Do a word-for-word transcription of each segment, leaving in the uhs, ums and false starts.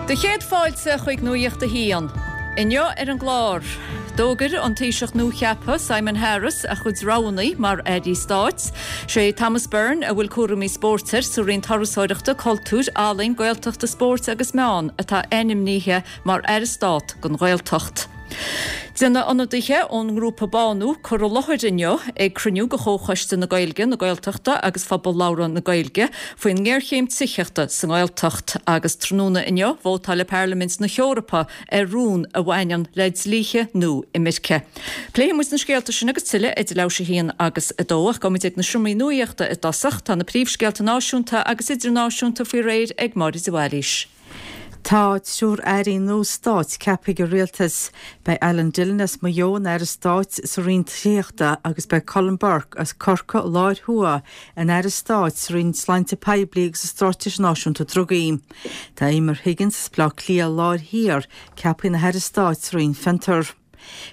Do chéad fáilte chuig Nuacht a hAon. Inniu ar an gclár. D'fhógair an Taoiseach nuacheaptha Simon Harris a chuid roghanna mar airí stáit, sé Thomas Byrne a bhfuil cúraimí spóirt air sa Roinn Turasóireachta, Cultúir, Ealaíon, Gaeltachta, Spóirt agus Meán atá ainmnithe mar Aire Stáit don Ghaeltacht. Déanfaidh ionadaithe ón ngrúpa Bánú cur i láthair inniu ag cruinniú de Chomhchoiste na Gaeilge, na Gaeltachta agus Phobal Labhartha na Gaeilge faoin ngéarchéim tithíochta sa nGaeltacht agus tráthnóna inniu vótáil Parlaimint na hEorpa ar rún a bhaineann le dlíthe nua imirce. Pléifidh muid na scéalta sin agus tuilleadh idir leathuair tar éis a haon agus a dó ach gabhfaimid ag na seomraí nuachta i dtosach tá na príomhscéalta náisiúnta agus idirnáisiúnta faoi réir ag Máire de Bhailís. Tá triúr airí nua stáit ceaptha ag an rialtas. Beidh Alan Dillon as Maigh Eo ina aire stáit sa Roinn Tithíochta agus beidh Colm Burke as Corcaigh Láir Thuaidh ina aire stáit sa Roinn Sláinte Poiblí agus Straitéis Náisiúnta Drugaí. Tá Emer Higgins as Baile Átha Cliath Láir Thiar ceaptha ina haire stáit sa Roinn Fiontar.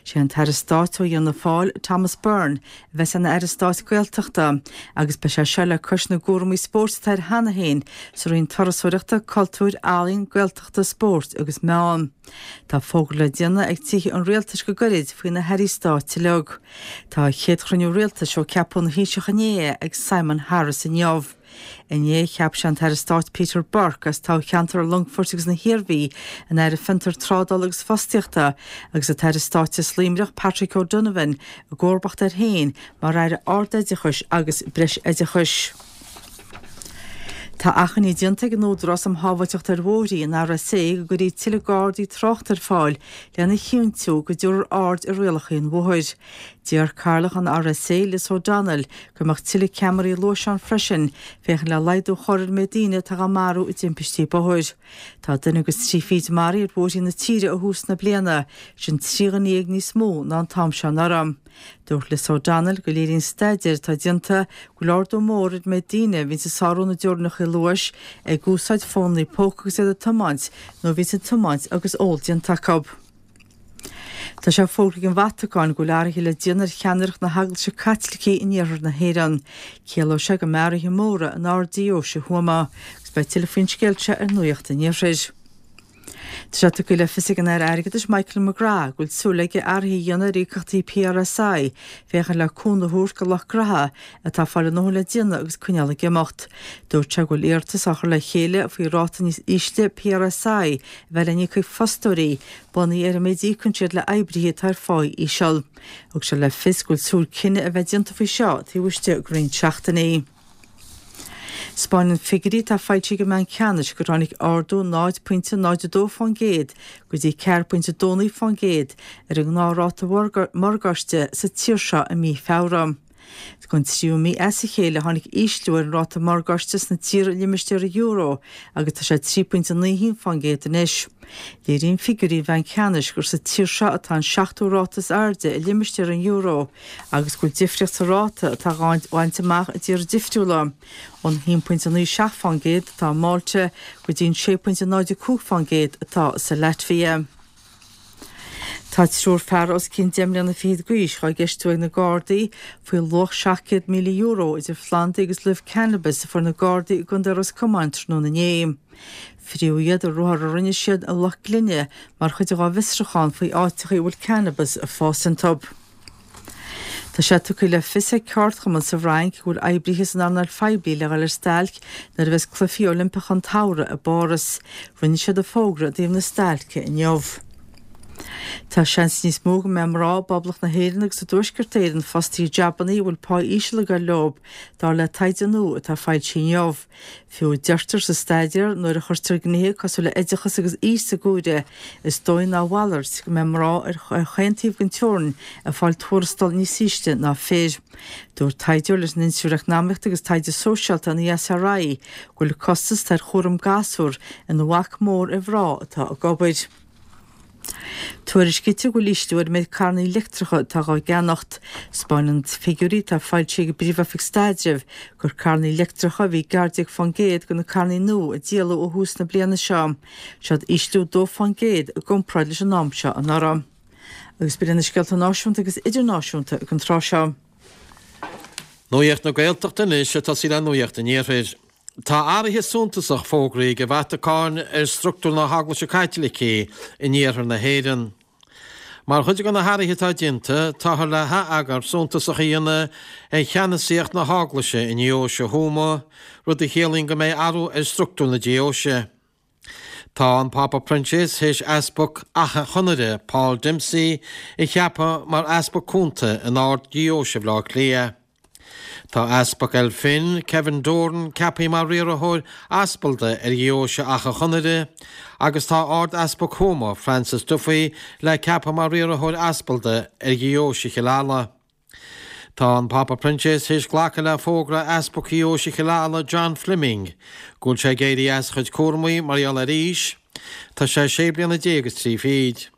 Sé an tAire Stáit ó Fhianna Fáil Thomas Byrne a bheas ina aire stáit Gaeltachta agus beidh sé seo le cois na gcúraimí spóirt atá air cheana féin sa Roinn Turasóireachta, Cultúir, Ealaíon, Gaeltachta, Spóirt agus Meán. Tá fógra le déanamh ag tithe an rialtais go gairid faoi na hairí stáit uilig. Tá a chéad chruinniú rialtais ó ceapadh ina Thaoiseach inné ag Simon Harris inniu. Inné cheap sé an tAire Stáit Peter Burke as toghcheantar Longfoirt agus na hIarmhí ina aire Fiontar Trádála agus Fostaíochta agus an tAire Stáit as Luimneach Patrick O'Donovan i gcomharbacht air féin mar aire ardoideachais agus breisoideachais. Tá achainí déanta ag an Údarás um Shábháilteacht ar Bhóithre an RSA go gcuirfí tuilleadh gardaí tráchta ar fáil lena chinntiú go dtabharfar aird ar rialacha an bhóthair. Deir Cathaoirleach an RSA Liz O'Donnell go mbeadh tuilleadh ceamaraí luais ann freisin féachaint le laghdú a chur ar an méid daoine atá á marú i dtimpistí bóthair. Tá duine agus trí fichid maraithe ar bhóithre na tíre ó thús na bliana, sin trí dhuine dhéag níos mó ná an t-am seo anuraidh. Dúirt Liz O'Donnell go léiríonn staidéar atá déanta go bhfuil ardú mór ar an méid daoine a bhíonn ag sárú na dteorainneacha luais ag úsáid fónnaí póca agus iad ag tiomáint nó a bhíonn ag tiomáint agus ól déanta acu. Tá sé fógartha ag an Vatacáin go bhfuil athruithe le déanamh ar cheannaireacht na hEaglaise Caitlicí in iarthar na hÉireann. Ciallóidh sé go mbeidh athruithe móra in Ard-Deoise Thuama, agus beidh tuilleadh faoin scéal seo ar Nuacht an Iarthair. Tá sé tugtha le fios ag an Aire Airgeadais Michael McGrath go bhfuil súil aige athruithe a dhéanamh ar íocaíochtaí PRSI féachaint le cúnamh a thabhairt do lucht gnótha atá ag fáil a ndóthain le déanamh agus coinneáil ag imeacht. Dúirt sé go bhfuil iarratas á chur le chéile faoi ráta níos ísle PRSI a bheith le n-íoc ag fostóirí bunaithe ar an méid a íocann siad le oibrithe atá ar phá íseal. Thug sé le fios go bhfuil súil cinneadh a bheith déanta faoi seo taobh istigh de roinnt seachtainí. 'Spáineann figiúirí atá foilsithe ag an mBanc Ceannais gur tháinig ardú náid pointe náid a dó fán gcéad go dtí ceathair pointe dó naoi fán gcéad ar an ngnáthráta morgáiste sa tír seo i mí Feabhra. Don tríú mí as a chéile tháinig ísliú ar an ráta morgáiste sna tíortha i limistéar an euro agus tá sé trí pointe naoi haon fán gcéad anois. Léiríonn figiúirí an Bhainc Ceannais gur sa tír seo atá an seachtú ráta is airde i limistéar an euro agus go bhfuil difríocht sa ráta atá á bhaint amach i dtíortha difriúla, ón haon pointe naoi seacht fán gcéad atá i Málta go dtí an sé pointe náid a cúig fán gcéad atá sa Laitvia. Tá triúr fear os cionn deich mbliana fichead d'aois dhá gceistiú ag na Gardaí faoi luach seacht gcéad míle euro idir phlandaí agus luibh cannabis a fuair na Gardaí i gContae Ros Comáin tráthnóna inné. Fríodh iad i ruathar a rinne siad i Loch Glinne mar chuid dá bhfiosrúchán faoi áiteacha a bhfuil cannabis ag fás iontu. Tá sé tugtha le fios ag ceardchumann sa bhFrainc go bhfuil oibrithe san earnáil phoiblí le dhul ar stailc nuair a bheas Cluichí Oilimpeacha an tSamhraidh i bPáras. Rinne siad an fógra i dtaobh na stailce inniu. Tá seans níos mó go mbeidh mná i bPoblacht na hÉireann agus i dTuaisceart Éireann fostaithe i jabannaí a bhfuil pá íseal ag dul leo, dar le taighde nua atá foilsithe inniu. Fiú, deirtear sa staidéar, nuair a chuirtear gnéithe cosúil le oideachas agus aois sa gcomhaireamh, is dóigh ná a mhalairt go mbeidh mná ar chaon taobh den teorainn ag fáil tuarastal níos ísle ná fir. Dúirt taighdeoir leis an Institiúid Eacnamaíochta agus Taighde Sóisialta, an ESRI, go bhfuil costas atá ar chúram gasúr ina bhac mór ar mhná atá ag obair. Tuairiscítear go bhfuil ísliú ar an méid carranna leictreacha atá dhá gceannacht. 'Spáineann figiúirí atá foilsithe ag an bPríomh-Oifig Staidrimh gur carranna leictreacha a bhí i gceathair déag fán gcéad de na carranna nua a díoladh ó thús na bliana seo. Seod ísliú dó fán gcéad i gcomparáid leis an am seo anuraidh. Agus b'in iad na scéalta náisiúnta agus idirnáisiúnta ag an tráth seo. Nuacht na Gaeltachta anois ag tosaí le Nuacht an Iarthair. Tá athruithe suntasach fógraithe ag an Vatacáin ar struchtúr na hEaglaise Caitlicí in iarthar na hÉireann. Mar chuid de na hathruithe atá déanta, táthar le hatheagar suntasach a dhéanamh ar cheannasaíocht na hEaglaise i nDeoise Thuama, rud a chiallaíonn go mbeidh athrú ar struchtúr na deoise. Tá an Pápa Proinsias théis Easpag Achadh Chonaire, Paul Dempsey, a cheapadh mar Easpag Cúnta in Ard-Deoise Bhaile Átha Cliath. Tá Easpag Elphin, Kevin Doran, ceaptha mar riarthóir aspalda ar Dheoise Achadh Chonaire agus tá Ard-Easpag Thuama, Francis Duffy, le ceapadh mar riarthóir aspalda ar Dheoise Chill Ala. Tá an Pápa Proinsias théis glacadh le fógra Easpag Dheoise Chill Ala, John Fleming, go bhfuil sé ag éirí as a chuid cúramaí mar gheall ar aois. Tá sé sé bliana déag is trí fichid.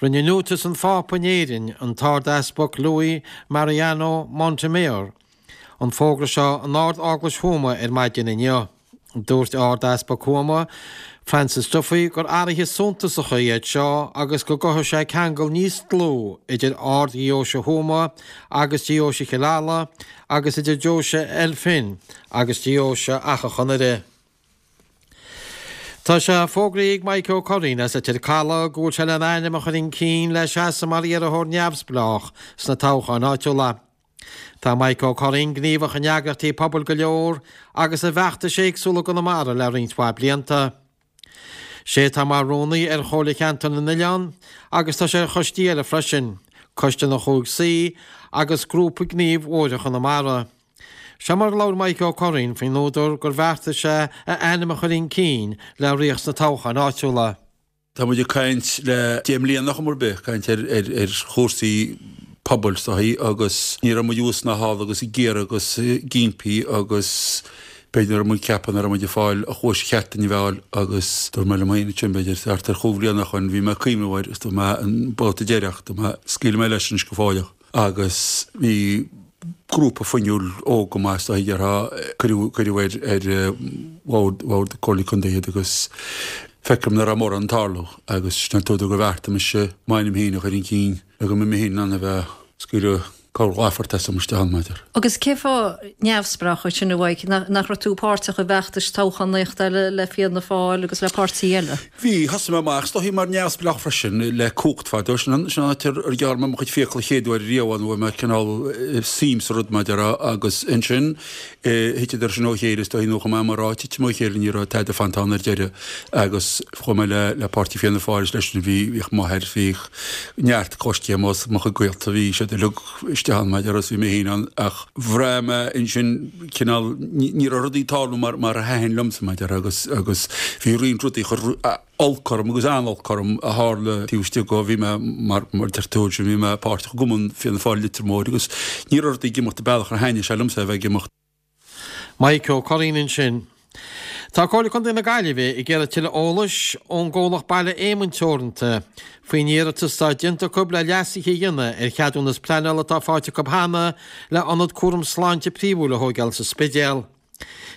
Rinne Núntias an Phápa in Éirinn, an tArd-Easpag Luis Mariano Montemayor, an fógra seo in Ard-Eaglais Thuama ar maidin inniu. Dúirt Ard-Easpag Thuama, Francis Duffy, gur athruithe suntasacha iad seo agus go gcothóidh sé ceangal níos dlúth idir Ard-Dheoise Thuama agus Deoise Chill Ala agus idir Deoise Elphin agus Deoise Achadh Chonaire. Tá sé fógraithe ag Mike Ó Curraoin as Leitir Caladh go bhfuil sé lena ainm a chur chun cinn le seasamh mar iarrthóir neamhspleách sna toghcháin áitiúla. Tá Mike Ó Curraoin gníomhach in eagraíochtaí pobail go leor agus i bhfeachtais éagsúla i gConamara le roinnt mhaith blianta. Sé atá mar rúnaí ar Chomhairle Cheantar na nOileán agus tá sé ar choistí eile freisin, Coiste na Chúig Suí agus Grúpa Gnímh Bhóithre Chonamara. Seo mar a labhair Mike Ó Curraoin faoin údar gur bheartaigh sé a ainm a chur chun cinn le rith sna toghcháin áitiúla. Tá muid ag caint le deich mbliana chuma ar bith, caint ar ar chúrsaí pobail is dóichí agus ní raibh muid thuas ná thall agus ag iarraidh agus ag impí agus b'fhéidir nach raibh muid ag ceapadh nach raibh muid ag fáil an chluais cheart den bhfeall agus dúirt mé liom féin ansin b'fhéidir thart ar chúig bhliana ó shoin bhí mé ag cuimhneamh air agus dúirt mé an babhta deireach dúirt mé scaoilfidh mé leis anois go fóilleach agus bhí grúpa fuinniúil óg go maith is dóichí déarfá cuireadh cuireadh ar ar bhord bhord Comhairle Contae iad agus feicim nach raibh mórán ag tarlú agus sin an t-údar gur bheartaigh mise m'ainm féin a chur chun cinn le go mbeidh mé féin in ann a bheith ag scaoileadh corrlaphort asam isteach ann, maidir. Agus cén fáth neamhspleách ansin a Mhaidhc, nach raibh tú páirteach i bhfeachtais toghchánaíochta eile le Fianna Fáil agus le páirtí eile? Bhí, thosaigh mé amach is dóichí mar neamhspleách freisin le cumhacht fadó, sin an áit ar ghearr mé mo chuid fiacal an chéad uair riamh ann, bhfuair mé cineál suim sa rud mar a déarfá agus ansin thiteadar sin ó chéile is dóichí nó chomh maith mar áit titim ó chéile ní raibh tada fanta ann ar deireadh agus chuaigh mé le le páirtí Fianna Fáil is leis sin bhí bhíodh m'athair bhíodh neart coiscéim os mo chuid gaolta bhí siad uilig isteach ann mar a déarfá is bhí mé féin ann ach bhraith mé ansin cineál ní raibh rudaí ag tarlú mar mar a thaitin liomsa mar a déarfá agus agus bhí roinnt rudaí a chuir olc orm agus an-olc orm a tharla taobh istigh de bhí mé mar mar deir tú ansin bhí mé páirteach i gCumann Fianna Fáil Leitir Móir agus ní raibh rudaí ag imeacht an bealach ar thaitnigh sé liomsa a bheith ag imeacht. Mike Ó Curraoin ansin. Tá Comhairle Contae na Gaillimhe ag iarraidh tuilleadh eolais ón gcomhlacht Baile Éamoinn Teoranta faoin iarratas atá déanta acu le leasuithe a dhéanamh ar cheadúnas pleanála atá faighte acu cheana le ionad cúram sláinte príomhúil a thóigeáil sa Spidéal.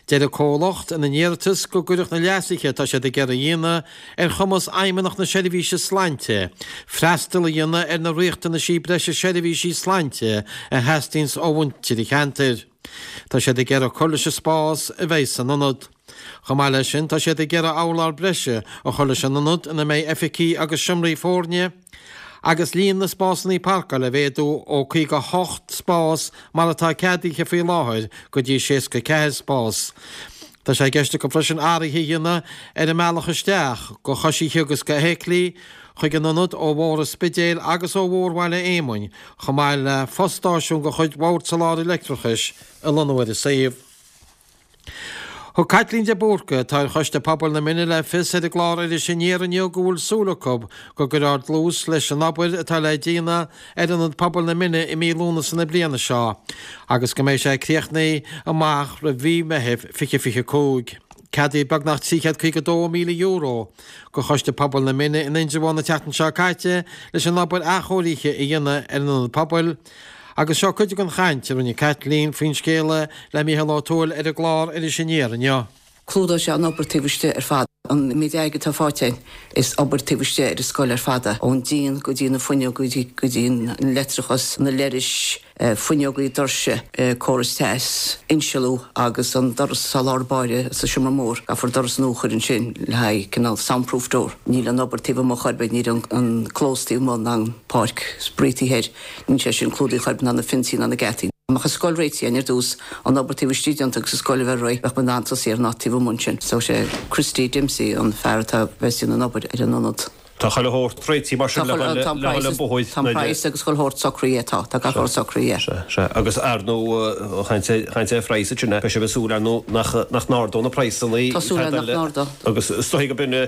Deir an comhlacht ina n-iarratas go gcuirfeadh na leasuithe atá siad ag iarraidh a dhéanamh ar chumas Fheidhmeannacht na Seirbhíse Sláinte freastal a dhéanamh ar na riachtanaisí breise seirbhísí sláinte a theastaíonns ó mhuintir an cheantair. Tá siad ag iarraidh cur leis an spás a bheidh san ionad. Chomh maith leis sin, tá siad ag iarraidh urlár breise a chur leis an ionad ina mbeidh oifigí agus seomraí foirne, agus líon na spásanna páirceála a mhéadú ó caoga a hocht spás mar atá ceadaithe faoi láthair go dtí seasca a ceathair spás. Tá sé i gceist acu freisin athruithe a dhéanamh ar an mbealach isteach do choisithe agus do fheithiclí chuig an ionad ó Bhóthar an Spidéil agus ó Bhóthar Bhaile Éamoinn chomh maith le fostáisiún de chuid Bhord Soláthair Leictreachais a lonnú ar an suíomh. Thug Caitlín de Búrca, atá ar Choiste Pobail na Mine le fios ar an gclár Iris Aniar inniu go bhfuil súil acu go gcuirfear dlús leis an obair atá le déanamh ar Ionad Pobail na Mine i mí Lúnasa na bliana seo agus go mbeidh sé críochnaithe amach roimh mhí Meithimh fiche fiche cúig. Ceadaíodh beagnach trí chéad caoga dó míle euro do Choiste Pobail na Mine in Indreabhán an tseachtain seo caite leis an obair athchóirithe a dhéanamh ar an Ionad Pobail Agus seo cuid den chaint a rinne Caitlín faoin scéala le Mícheál Ó Tuathail ar an gclár Iris Aniar inniu. Clúdóidh sé an obair taobh istigh ar fad. An méid airgid atá faighte againn, is obair taobh istigh ar an scoil ar fad é, ón díon go dtí na fuinneoga go dtí an leictreachas, na leithris, Fuinneogaí, doirse, córas teas, insealú agus an doras sa lár báire sa seomra mór. Caithfear doras nua a chur ansin le haghaidh cineál soundproof door. Níl an obair taobh amuigh chor ar bith, níl an clós taobh amuigh ná an páirc spraoi taobh thoir, níl sé sin clúdaithe chor ar bith ná na fionsaí ná na geataí. Dá mbeadh an scoil réitithe againn ar dtús, an obair taobh istigh déanta agus an scoil a bheith réidh, bheadh muid in ann tosaí ar an áit taobh amuigh ansin. So sé Christy Dempsey an fear atá bheas ag déanamh an obair ar an ionad. Tá chuile shórt réitithe mar sin le dhul an bóthar. Tá an praghas agus chuile shórt socraithe, tá, tá gach rud socraithe. Sea, sea. Agus ar ndóigh, chaint ar phraghas ansin, beidh sibh ag súil ar ndóigh nach nach n-ardódh na praghsanna. Tá súil againn nach n-ardódh. Agus is dóigh go b'in,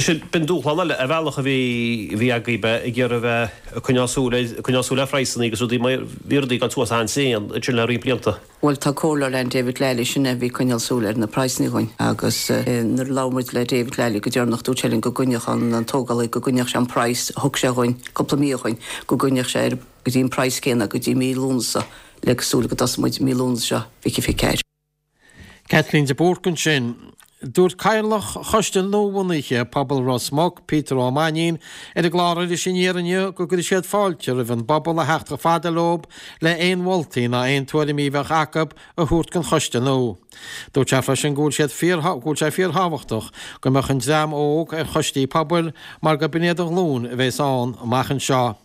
sin, b'in dúshlán eile ar bhealach a bhí, a bhí agaibh, ag iarraidh a bheith ag coinneáil súil ar, ag coinneáil súil ar phraghsanna agus rudaí mar, bhí rudaí ag dul suas an-tréan ansin le roinnt blianta. Bhuel, tá comhairleoir ann, David Lally, sin é a bhí ag coinneáil súil ar na praghsanna dhúinn agus nuair a labhair muid le David Lally go deireanach dúirt sé linn go gcoinneodh an tógálaí, go gcoinneodh sé an praghas a thug sé dhúinn cúpla mí ó shoin, go gcoinneodh sé ar go dtí an praghas céanna go dtí mí Lúnasa le súil go dtosóidh muid mí Lúnasa seo fiche fiche ceathair. Caitlín de Búrc ansin. Dúirt Cathaoirleach Choiste nuabhunaithe Pobal Ros Muc, Peter Ó Mainnín, ar an gclár Iris Aniar inniu go gcuirfidh siad fáilte roimh an bpobal a theacht chomh fada leo le aon mholtaí ná aon tuairimí a bheadh acu a thabhairt don choiste nua. Dúirt sé freisin go bhfuil siad fíor go bhfuil sé fíorthábhachtach go mbeadh an dream óg ar choistí pobail mar gurb in iad an ghlúin a bheas ann amach anseo.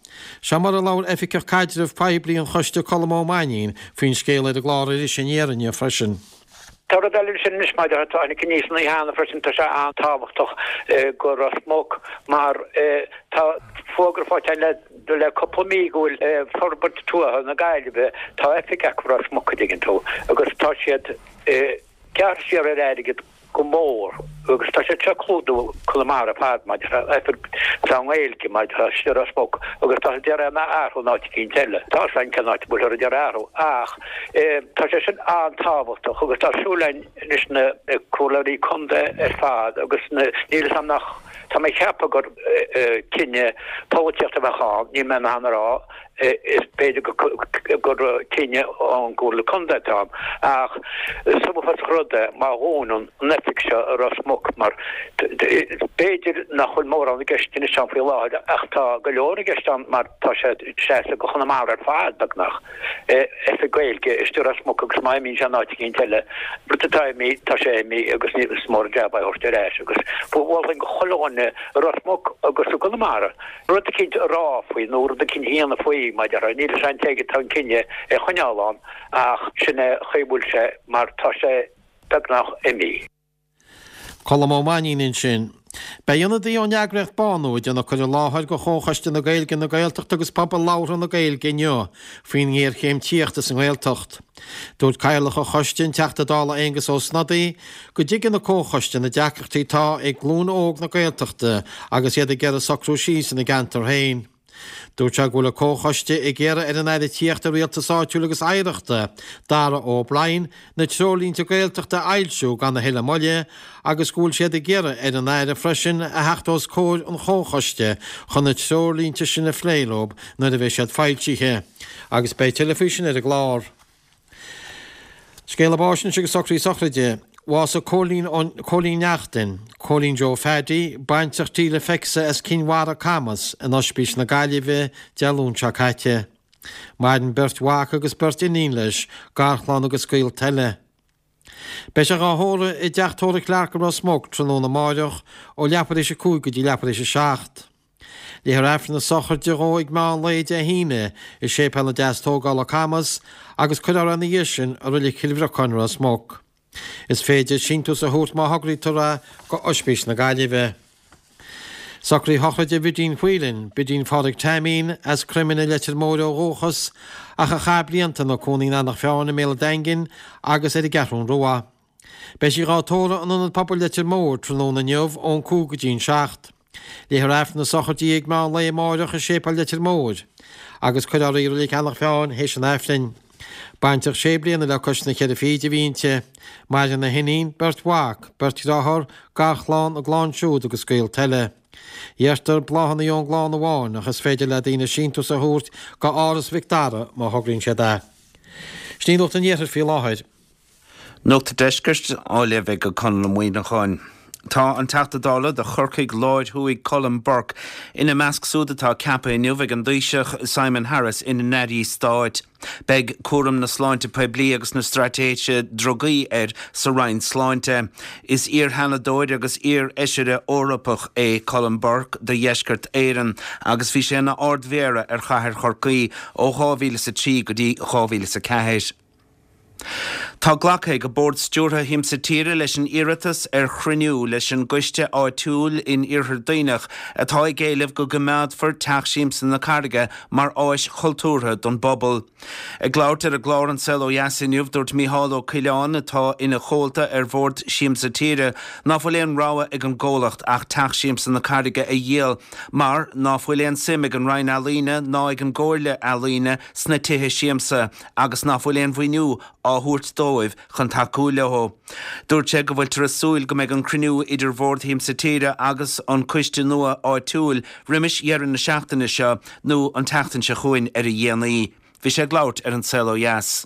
Seo mar a labhair Oifigeach Caidrimh Poiblí an Choiste Colm Ó Mainnín faoin scéal ar an gclár Iris Aniar inniu freisin. Tá rud eile ansin anois maidir le tháinig aníos an oíche cheana freisin, tá sé an-tábhachtach go Ros Muc mar tá fógra faighte le le cúpla mí go bhfuil Forbairt Tuaithe na Gaillimhe, tá oifig acu i Ros Muc an dtuigeann tú agus tá siad gearrtha siar ar airgead go mór agus tá siad seo ag clúdú Conamara ar fad maidir le oifig sa nGaeilge maidir le istigh i Ros Muc agus tá siad ag iarraidh é a athrú in áit eicínt eile. Tá a fhios againn cén áit a bhfuilthear ag iarraidh athrú ach tá sé sin an-tábhachtach agus tá súil againn anois na comhairleoirí contae ar fad agus na, níl fhios agam nach, tá mé ag ceapadh gur cinneadh polaitíochta a bheadh ann, níl mé in ann a rá, is b'fhéidir gur cinneadh ón gComhairle Contae atá ann, ach is uafásach rud é má dhúnann an oifig seo i Ros Muc mar b'fhéidir nach bhfuil mórán i gceist anois ann faoi láthair ach tá go leor i gceist ann mar tá sé ag seasamh go Chonamara ar fad, beagnach, oifig Gaeilge istigh i Ros Muc agus má imíonn sé in áit eicínt eile, rud atá imithe, tá sé imithe agus ní is mór an jab é a thabhairt ar ais agus mholfainn go chuile dhuine i Ros Muc agus i gConamara. rud eicínt a rá faoi nó rud eicínt a dhéanamh faoi, mar a déarfá. Níl fhios a'm cé aige atá an cinneadh é a choinneáil ann ach sin é an chaoi a bhfuil sé mar tá sé beagnach imithe. Colm Ó Mainnín ansin. Beidh ionadaí ón eagraíocht Bánú ag déanamh cur i láthair go Chomhchoiste na Gaeilge, na Gaeltachta agus Pobal Labhartha na Gaeilge inniu faoin ngéarchéim tithíochta sa nGaeltacht. Dúirt Cathaoirleach an Choiste, an Teachta Dála Aengus Ó Snodaigh, go dtuigeann an Comhchoiste na deacrachtaí atá ag glúin óg na Gaeltachta agus iad ag iarraidh socrú síos ina gceantar féin. Dúirt sé go bhfuil an Comhchoiste ag iarraidh ar an Aire Tithíochta, Rialtais Áitiúil agus Oidhreachta, Darragh O'Brien, na Treoirlínte Gaeltachta a fhoilsiú gan a thuilleadh moille agus go bhfuil siad ag iarraidh ar an Aire freisin a theacht os comhair an Chomhchoiste chun na treoirlínte sin a phlé leo nuair a bheidh siad foilsithe. Agus beidh tuilleadh faoi sin ar an gclár. Scéala báis anois agus socruithe sochraide. Bhásaigh Cóilín Cóilín Neachtain, Cóilín Joe Phaddy, baintreach tí le Feixa as Cinn Mhara, Camas, in Oispís na Gaillimhe, Dé Luain seo caite. Maireann beirt mhac agus beirt iníon leis, garchlann agus gaolta eile. Beidh sé dhá thórramh i dTeach Tórraimh Clarke i Ros Muc tráthnóna amáireach ó leathuair éis a cúig go dtí leathuair éis a seacht. Léifear Aifreann na sochraide dhó ag meán lae Dé hAoine i Séipéal na Deastógála, Camas, agus cuirfear é ina dhiaidh sin i Reilig Chill Bhriocáin, Ros Muc. Is féidir síntiús a thabhairt má thograítear é go Oispís na Gaillimhe. Socruithe sochraide Bhidín Whelan, Bidín Phádraig Teaimín, as Cromghlinn i Leitir Móir ó dhúchas, ach a chaith blianta ina cónaí in Eanach Mheáin i mBéal an Daingin agus ar an gCeathrún Rua. Beidh sí dhá tórramh in Ionad Pobail Leitir Móir tráthnóna inniu ón cúig go dtí an seacht. Léifear Aifreann na sochraide di ag meán lae amáireach i Séipéal Leitir Móir agus cuirfear í i Reilig Eanach Mheáin théis an Aifrinn. Bainteach sé bliana le cois na ceithre fichid a bhí inti. Maireann a hiníon, beirt mhac, beirt dhearthár, garchlann, a gclann siúd agus gaolta eile. Iarrtar bláthanna ón gclann amháin ach is féidir le daoine síntiús a thabhairt go Áras Mhic Dara má thograíonn siad é. Sin í Nuacht an Iarthair faoi láthair. Nuacht an Deiscirt á léamh ag Conall Ó Muíneacháin. Tá an Teachta Dála do Chorcaigh Láir Thuaidh Colm Burke ina measc siúd atá ceaptha inniu ag an dTaoiseach Simon Harris ina n-airí stáit. Beidh cúram na sláinte poiblí agus na straitéise drugaí air sa Roinn Sláinte. Is iar-sheanadóir agus iar-fheisire Eorpach é Colm Burke do Dheisceart Éireann agus bhí sé ina Ard-Mhéara ar chathair Chorcaí ó dhá mhíle is a trí go dtí dhá mhíle is a ceathair. Tá glactha ag Bord Stiúrtha Shiamsa Tíre leis an iarratas ar chruinniú leis an gcoiste áitiúil in Iarthar Duibhneach atá ag éileamh go gcoimeádfar Teach Siamsa na Carraige mar áis chultúrtha don bpobal. Ag labhairt ar an gclár An Saol Ó Dheas inniu, dúirt Mícheál Ó Coileáin, atá ina chomhalta ar Bhord Siamsa Tíre, ná fuil aon rogha ag an gcomhlacht ach Teach Siamsa na Carraige a dhíol mar ná fuil aon suim ag an Roinn Ealaíne ná ag an gComhairle Ealaíne sna tithe siamsa agus ná fuil aon mhaoiniú á thabhairt dóibh chun tacú leo. Dúirt sé go bhfuiltear ag súil go mbeidh an cruinniú idir Bhord Shiamsa Tíre agus an coiste nua áitiúil roimis dheireadh na seachtaine seo nó an tseachtain seo chugainn ar a dhéanaí. Bhí sé ag labhairt ar An Saol Ó Dheas.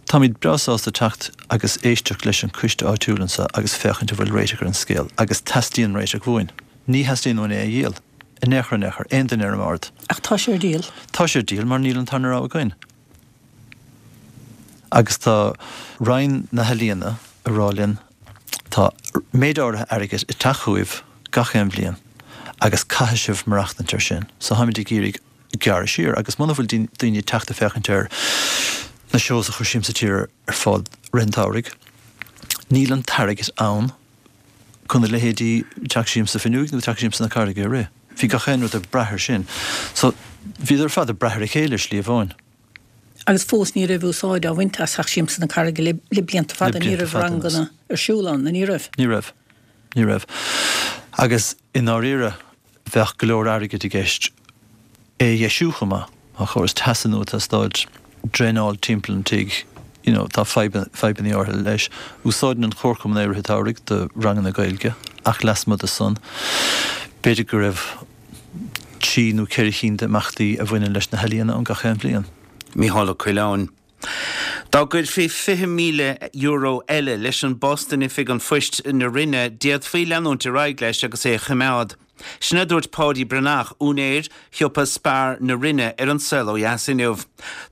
Táimid breá sásta teacht agus éisteacht leis an coiste áitiúil anseo agus féachaint an bhfuil réiteach ar an scéal agus teastaíonn réiteach uainn. Ní theastaíonn uainn é a dhíol. In aon chor in aon chor, aon duine ar an mbord. Ach tá sé ar díol. Tá sé ar díol mar níl an tarna rogha againn. Agus tá Roinn na hEalaíona ag rá linn, tá méid áirithe airgid ag teacht chugaibh gach aon bhliain agus caithfidh sibh maireachtaint ar sin. So táimid ag iarraidh gearradh siar agus muna bhfuil daoine ag teacht ag féachaint ar na shows a chuir Siamsa Tíre ar fáil rith an tsamhraidh, níl an t-airgead ann chun a leithéidí Teach Siamsa Fionnuaidh nó Teach Siamsa na Carraige a rith. Bhí gach aon rud ag brath air sin. So, bhíodar ar fad ag brath ar a chéile ar shlí amháin. Agus fós ní raibh úsáid á bhaint as Teach Siamsa na Carraige le blianta fada, ní raibh ranganna ar siúl ann, ní raibh? Ní raibh. Ní raibh. Agus i ndáiríre, bheadh go leor airgid i gceist é a dheisiú chomh maith. Tá córas teasa nua ag teastáil, draenáil timpeall an tigh, you know, tá fadhbanna áirithe leis. Úsáideann an Comharchumann é i rith an tsamhraidh do ranganna Gaeilge ach lasmuigh de san, b'fhéidir go raibh trí nó ceithre chinn d'imeachtaí a bhaineann leis na healaíona ann gach aon bhliain. Mícheál Ó Coileáin. Dá gcuirfí fiche míle euro eile leis an bpost in Oifig an Phoist na Rinne, d'fhéadfaí leanúint ar aghaidh leis agus é a choimeád. Sin a dúirt Páidí Breathnach, úinéir shiopa Spar na Rinne ar An Saol Ó Dheas inniu.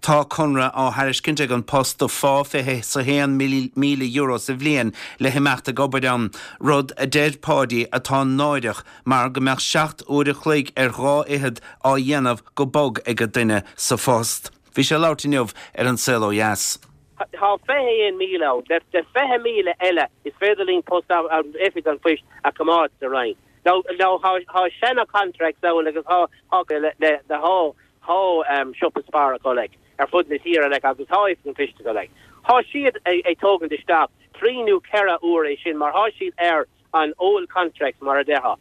Tá conradh á thairiscint ag An Post do phá fiche is a haon míle euro sa bhliain le himeacht ag obair ann, rud a deir Páidí atá náireach mar go mbeadh seacht uair a chloig ar dhá fhichead á dhéanamh go bog ag an duine sa phost. Bhí sé ag labhairt inniu ar An Saol Ó Dheas. Tá fiche aon míle ann. Le fiche míle eile is féidir linn post Oifig an Phoist a choimeád sa Rinn. Now tá seana contracts ann agus tá le le tá tá siopa Spar acu like ar fud na tíre like agus tá Oifig an Phoist acu like. Tá siad ag tógaint isteach trí nó ceithre uair é sin mar tá siad ar an old contracts mar a déarfá.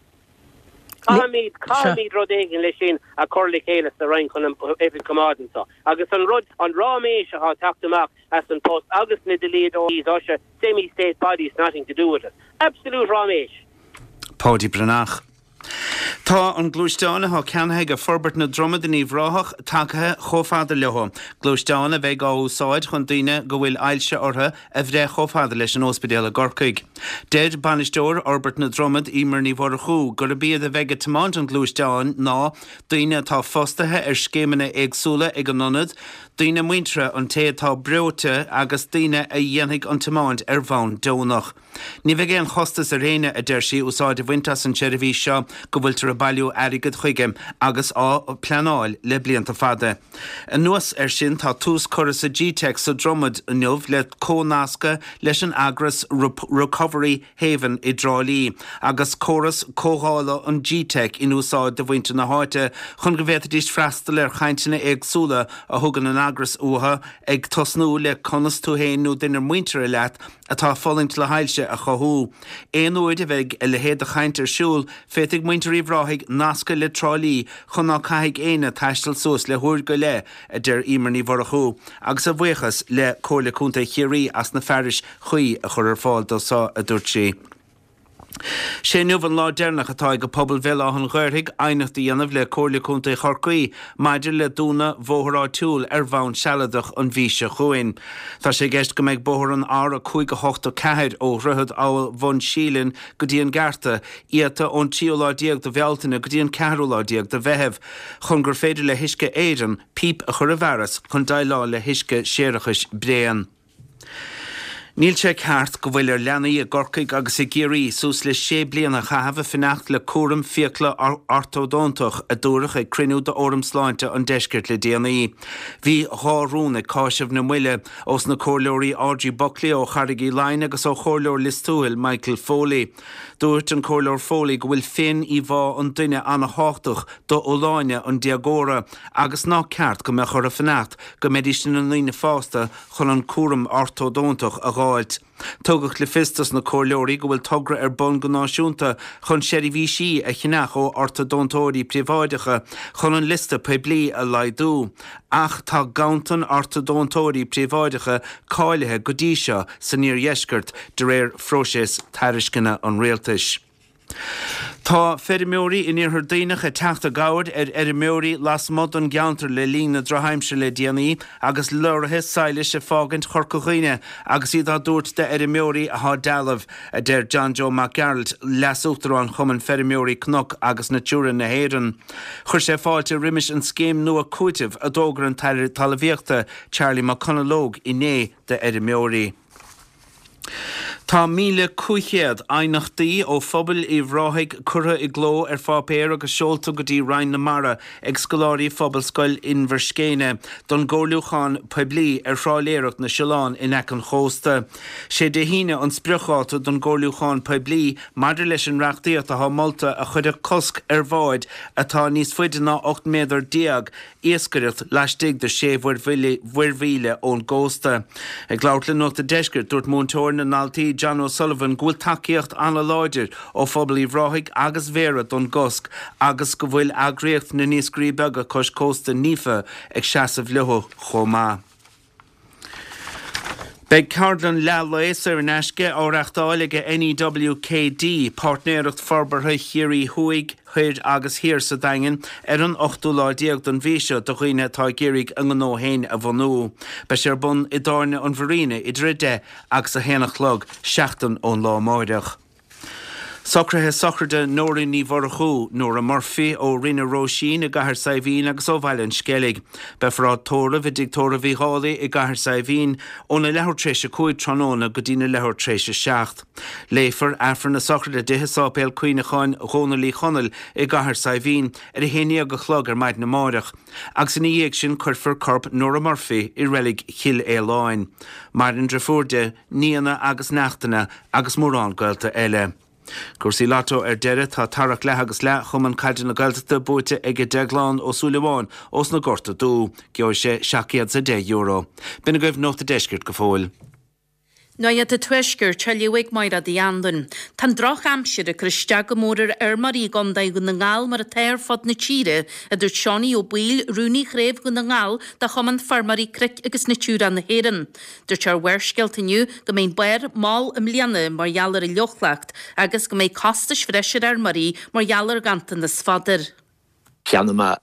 Caithfimid, caithfimid rud éigin leis sin a chur le chéile sa Roinn chun an oifig a choimeád anseo. Agus an rud, an ráiméis atá ag teacht amach as an Post agus na dlíodóirí, tá sé semi-state bodies nothing to do with it. Absolute ráiméis. Páidí Breathnach. Tá an gluaisteán atá ceannaithe ag Forbairt na Dromad in Uíbh Ráthach tagtha chomh fada leo. Gluaisteán a bheidh á úsáid chun daoine go bhfuil ailse orthu a bhreith chomh fada leis an óispidéal i gCorcaigh. Deir bainisteoir Fhorbairt na Dromad, Emer Ní Mhurchú, gurb iad a bheidh ag tiomáint an ghluaisteáin ná daoine atá fostaithe ar scéimeanna éagsúla ag an ionad, daoine muinteartha an té atá breoite agus daoine a dhéanfaidh an tiomáint ar bhonn deonach. Ní bheidh aon chostas ar éinne, a deir sí, úsáid a bhaint as an tseirbhís seo go bhfuiltear ag bailiú airgid chuige agus á pleanáil le blianta fada. Anuas air sin, tá tús curtha sa Gteic sa Dromad inniu le comhnascadh leis an eagras Recovery Haven i dTrá Lí agus córas comhdhála an Gteic in úsáid do mhuintir na háite chun go bhféadfaidís freastal ar chainteanna éagsúla a thugann an eagras uathu, ag tosnú le conas tú féin nó duine muinteartha leat atá ag fulaingt le hailse a chothú. Aon uair a bheidh a leithéid de chaint ar siúl, féadfaidh muintir Uíbh Ráthaigh nascadh le Trá Lí chun ná caithfidh éinne taisteal suas le huair go leith, a deir Emer Ní Mhurchú, agus a bhuíochas le Comhairle Contae Chiarraí as na fearais chuí a chur ar fáil dó seo, a dúirt sí. Sé inniu an lá deireanach atá ag pobal Bhéal Átha an Ghaorthaidh aighneacht a dhéanamh le Comhairle Contae Chorcaí maidir le dúnadh bhóthar áitiúil ar bhonn sealadach an mhí seo chugainn. Tá sé i gceist go mbeidh bóthar an R a cúig a hocht a ceathair ó Dhroichead Abhall Bhun Síleann go dtí an Gearta iata ón tríú lá déag de Bhealtaine go dtí an ceathrú lá déag de Mheitheamh chun gur féidir le hUisce Éireann píp a chur i bhfearas chun déileáil le huisce séarachais bréan. Níl sé ceart go bhfuil ar leanaí i gCorcaigh agus i gCiarraí suas le sé bliana a chaitheamh ag fanacht le cúram fiacla ortódóntach, a dúradh ag cruinniú d'Fhóram Sláinte an Deiscirt le déanaí. Bhí dhá rún ag cáiseamh na moille ós na Comhairleoirí Audrey Buckley ó Charraig Uí Leighin agus ó Chomhairleoir Lios Tuathail Michael Foley. Dúirt an Comhairleoir Foley go bhfuil féin-íomhá an duine an-thábhachtach d'fholláine an déagóra agus nach ceart go mbeadh orthu fanacht go mbeidís ina ndaoine fásta chun an cúram ortódóntach a dh'fháilt. Tugadh le fios dos na comhairleoirí go bhfuil togra ar bun go náisiúnta chun seirbhísí a cheannach ó ortódóntóirí príobháideacha chun an liosta poiblí a laghdú, ach tá ganntan ortódóntóirí príobháideacha cáilithe go dtí seo san iardheisceart de réir phróiseas tairisceana an rialtais. Tá feirmeoirí in Iarthar Duibhneach ag teacht i gcabhair ar fheirmeoirí lasmuigh den gceantar le linn na drochaimsire le déanaí agus leoraithe sadhlais ag fágaint Chorca Dhuibhne agus iad á dtabhairt d'fheirmeoirí atá dealbh, a deir John Joe Mac Gearailt, Leas-Uachtarán Chumann Feirmeoirí Cnoc agus Natura na hÉireann. Chuir sé fáilte roimis an scéim nua cúitimh a d'fhógair an tAire Talmhaíochta, Charlie McConalogue inné d'fheirmeoirí. Tá míle cúig chéad aighneachtaí ó phobal Uíbh Ráthaigh curtha i gcló ar pháipéar agus seolta go dtí Roinn na Mara ag scoláirí Phobalscoil Inbhir Scéine don gcomhairliúchán poiblí ar thrálaeireacht na siolán in aice an chósta. Sé Dé hAoine an spriocdháta don gcomhairliúchán poiblí maidir leis an reachtaíocht atá molta a chuirfeadh cosc ar bháid atá níos faide ná ocht méadar déag iascaireacht laistigh de sé mhuirmhíle ón gcósta. Ag labhairt le Nuacht an Deiscirt, dúirt múinteoir na ndaltaí John O'Sullivan go bhfuil tacaíocht an-láidir ó phobal Uíbh Ráthaigh agus Bhéarra don gcosc agus go bhfuil eagraíocht na n-iascairí beaga cois cósta NIFA ag seasamh leo chomh maith. Beidh ceardlann leath lae saor in aisce á reachtáil ag NEWKD, Páirtnéireacht Forbartha Chiarraí Thuaidh, Thoir agus Thiar sa Daingean ar an ochtú lá déag den mhí seo do dhaoine atá ag iarraidh a ngnó féin a bhunú. Beidh sé ar bun i dTábhairne an Mharina idir a deich agus a haon a chlog, seachtain ón lá amáireach. Socruithe sochraide Nóra Ní Mhurchú, Nóra Murphy, ó Rinn na Róisín i gCathair Saidhbhín agus ó Bhaile an Sceilg. Beifear á tórramh i dTigh Tórraimh Uí Dhálaigh i gCathair Saidhbhín óna leathuair tar éis a cúig tráthnóna go dtína leathuair tar éis a seacht. Léifear Aifreann na sochraide di i Sáipéal Cuimhneacháin Dhónaill Uí Chonaill i gCathair Saidhbhín ar a haon déag a chlog ar maidin amáireach agus ina dhiaidh sin cuirfear corp Nóra Murphy i reilig Chill Fhaoláin. Maireann driofúr di, nianna agus neachtanna agus mórán gaolta eile. Cúrsaí Lotto ar deireadh, tá tarrac leath agus leath Chumann Caide na Gaeltachta buaite ag Deaglán Ó Súilleabháin ós na Gorta Dubh. Gheobhaidh sé seacht gcéad is a deich euro. B'in agaibh Nuacht an Deiscirt go fóill. Nuacht an Tuaiscirt á léamh ag Máire Uí Anluain. Tá an drochaimsir ag cur isteach go mór ar fheirmeoirí i gContae Dhún na nGall mar atá ar fud na tíre, a dúirt Seánie Ó Baoill, Rúnaí Chraobh Dhún na nGall de Chumann Feirmeoirí Cnoic agus Natura na hÉireann. Dúirt sé ar Bharrscéalta inniu go mbeidh an barr mall i mbliana mar gheall ar an fhliuchleacht agus go mbeidh costais bhreise ar fheirmeoirí mar gheall ar ghanntanas fodair. Cheannaigh mé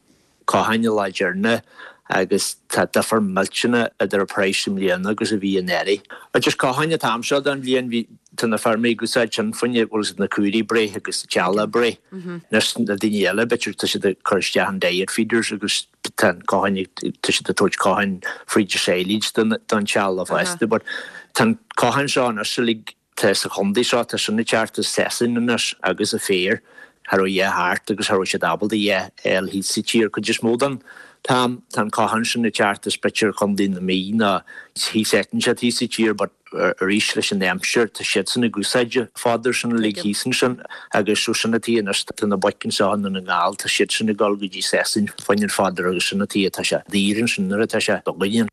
cochán an lá deireanach agus tá difear millteanach idir an praghas i mbliana agus a bhí anuraidh. Just cochán an t-am seo den bhliain bhí tá na feirmeoirí ag úsáid sin fá choinne bhfuil siad na caoirigh ag breith agus an teallach ag breith. Anois na daoine eile b'fhéidir tá siad ag cur isteach an diet feeders agus tá an cochán ag tá siad ag tabhairt cochán fríd an silage don don teallach fosta but tá an cochán seo anois uilig tá sa chontae seo tá sin ag teacht as Sasain anois agus an féar cha raibh a dhath thart agus cha raibh siad ábalta a dhath a fháil thíos sa tír cuid is mó den t-am tá an cochán sin ag teacht as b'fhéidir Contae na Mí nó thíos áit inteacht thíos sa tír but arís leis an aimsir tá siadsan ag úsáid an fodar sin uilig thíos ansin agus so sin an tuige anois tá na boic anseo i nDún na nGall tá siadsan ag dul go dtí Sasain fá choinne an fodar agus sin an tuige atá sé daor ansin nuair atá sé againne.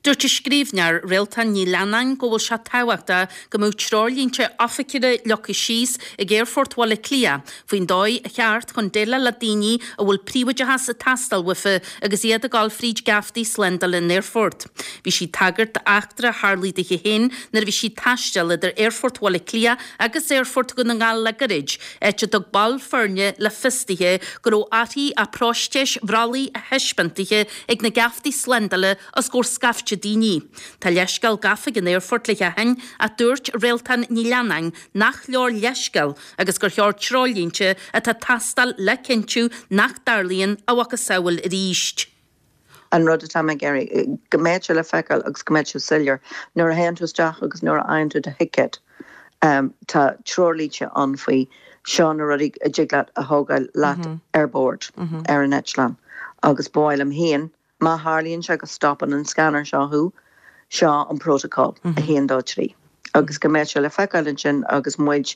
Dúirt an scríbhneoir Réaltán Ní Leannáin go bhfuil sé tábhachtach go mbeadh treoirlínte oifigiúla leagtha síos ag Aerfort Bhaile Átha Cliath faoin dóigh cheart chun déileáil le daoine a bhfuil príobháideachas ag teastáil uafa agus iad ag dul fríd geaftaí slándála an aerfoirt. Bhí sí ag tagairt d'eachtra a tharlaigh dithe féin nuair a bhí sí ag taisteal idir Aerfort Bhaile Átha Cliath agus Aerfort Dhún na nGall le gairid, áit a dtug ball foirne le fios dithe go raibh uirthi a próitéis bhrollaigh a thaispeáint dithe ag na geaftaí slándála os comhair scaifte daoine. Tá leithscéal gafa ag an aerfort le sheachain ach dúirt Réaltán Ní Leannáin nach leor leithscéal agus gur cheart treoirlínte atá ag teastáil le cinntiú nach dtarlaíonn a mhacasamhail arís. An rud atá mé ag iarraidh go mbeidh sé le feiceáil agus go mbeidh sé soiléir nuair a théann tú isteach agus nuair a fhaigheann tú do thicéad. Um, tá treoirlínte ann faoi seo na rudaí a dtig leat a thógáil leat mm -hmm. ar bord mm -hmm. ar an eitleán. Agus b'fhéidir féin má tharlaíonn sé go stopann an scanner seo thú seo an protocol mm -hmm. a haon dó trí. Agus go mbeidh sé le feiceáil ansin agus muid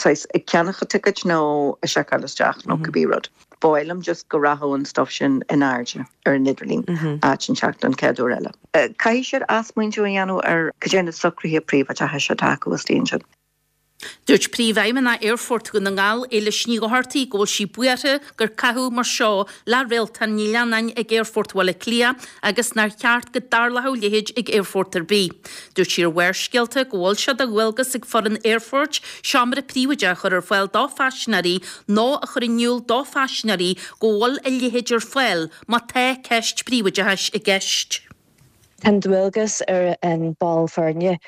ag ceannach ticket nó a seiceáil isteach nó mm -hmm. cibé rud. B'fhéidir just go rachadh an stuff sin in airde ar an idirlíon mm -hmm. áit an teacht an chéad uair eile. Uh, Caithfidh siad athsmaoineamh a dhéanamh ar cad é na socruithe príobháideachais atá acu sin. Dúirt Príomhfheidhmeannach Aerfort Dhún na nGall Éilis Ní Dhochartaigh go bhfuil sí buartha gur caitheadh mar seo le Réaltán Ní Leannáin ag Aerfort Bhaile Átha Cliath agus nár cheart go dtarlódh a leithéid ag aerfort ar bith. Dúirt sí ar Bharrscéalta go bhfuil sé de dhualgas ag foireann aerfoirt seomra príobháideach a chur ar fáil do phaisinéirí nó a chur in iúl do phaisinéirí go bhfuil a leithéid ar fáil má tá ceist príobháideachais i gceist. Tá an dualgas ar an ball foirne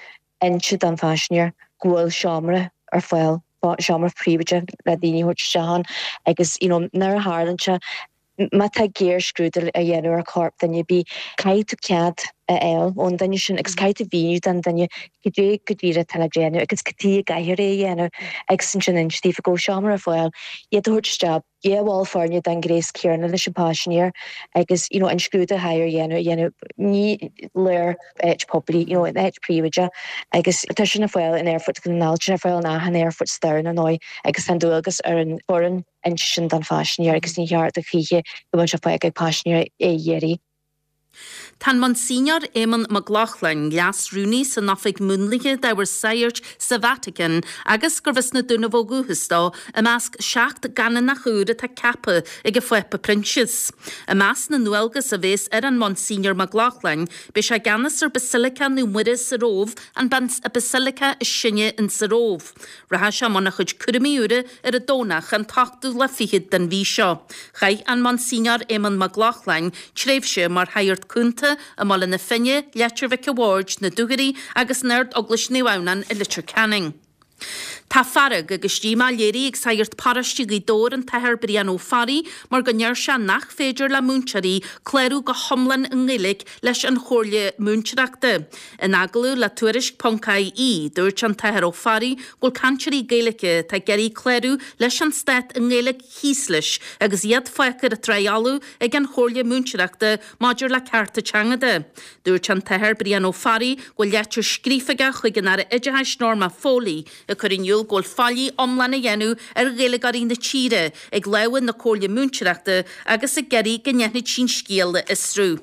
inse don phaisinéir go bhfuil seomra ar fáil seomra príobháideach le daoine a thabhairt isteach agus you know, nuair a tharlaíonn sé má tá géarscrúdú a dhéanamh ar chorp duine bí caithfidh tú cead a fháil ón duine sin agus caithfidh tú míniú don duine cad é go díreach atá le déanamh agus cad chuige a gcaithfear é a dhéanamh agus ansin inse daofa go bhfuil seomra ar fáil iad a thabhairt isteach dhá bhall foirne den ghléas céanna leis an paisinéir agus you know, an scrúdú a dhéanamh a dhéanamh ní léir áit poiblí you know, in áit príobháideach agus tá sin ar fáil in Aerfort Dhún na nGall ar fáil in achan aerfort sa domhan ar ndóigh agus tá dualgas ar an bhfoireann inse sin don phaisinéir agus ní cheart a choíche go bhfuil sé fágtha ag paisinéir é dhéirí. Tá an Monsignor Éamonn Mac Lochlainn, leas-rúnaí san Oifig Múnlaithe d'Ábhar Sagairt sa Vatican agus gurbh as na Dúnaibh ó dhúchas dó i measc seacht gcanónach úr atá ceaptha ag an Phápa Proinsias. I measc na ndualgas a bheas ar an Monsignor Mac Lochlainn, beidh sé i gceannas ar Basilica Naomh Muire sa Róimh an Basilica is sine in sa Róimh. Rachaidh sé i mbun a chuid cúraimí úra ar an Domhnach an t-ochtú lá fichead den mhí seo. Chaith an Monsignor Éamonn Mac Lochlainn tréimhse mar shagart cúnta i mBaile na Finne, Leitir Mhic a' Bhaird, na Dúchoraidh agus in Ard-Eaglais Naomh Adhamhnáin i Leitir Ceanainn. Tá fearg agus díomá léirithe ag sagart paróiste Ghaoth Dobhair an tAthair Brian Ó Fearraigh mar go ndeir sé nach féidir le múinteoirí clárú go hiomlán i nGaeilge leis an Chomhairle Múinteoireachta. In agallamh le Tuairisc ponc IE, dúirt an tAthair Ó Fearraigh go bhfuil cainteoirí Gaeilge atá ag iarraidh clárú leis an stát i nGaeilge thíos leis agus iad fágtha ar an trá fholamh ag an Chomhairle Múinteoireachta maidir le cearta teanga de. Dúirt an tAthair Brian Ó Fearraigh go bhfuil leitir scríofa aige chuig an Aire Oideachais Norma Foley ag cur in iúl go bhfuil faillí iomlán á dhéanamh ar Ghaeilgeoirí na tíre ag lámha na Comhairle Múinteoireachta agus ag iarraidh go ndéanfaidh sí an scéal a fhiosrú.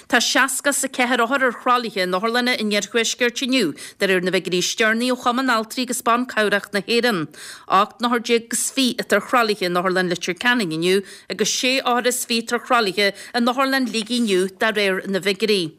Tá seasca is a ceathair othar ar thralaithe in otharlanna an iarthuaiscirt inniu, de réir na bhfigiúirí is deireanaí ó Chumann Altraí agus Ban Cabhrach na hÉireann. Ocht n-othar déag is fiche atá ar thralaithe in Otharlann Leitir Ceanainn inniu agus sé othar is fiche atá ar thralaithe in Otharlann Shligigh inniu, de réir na bhfigiúirí.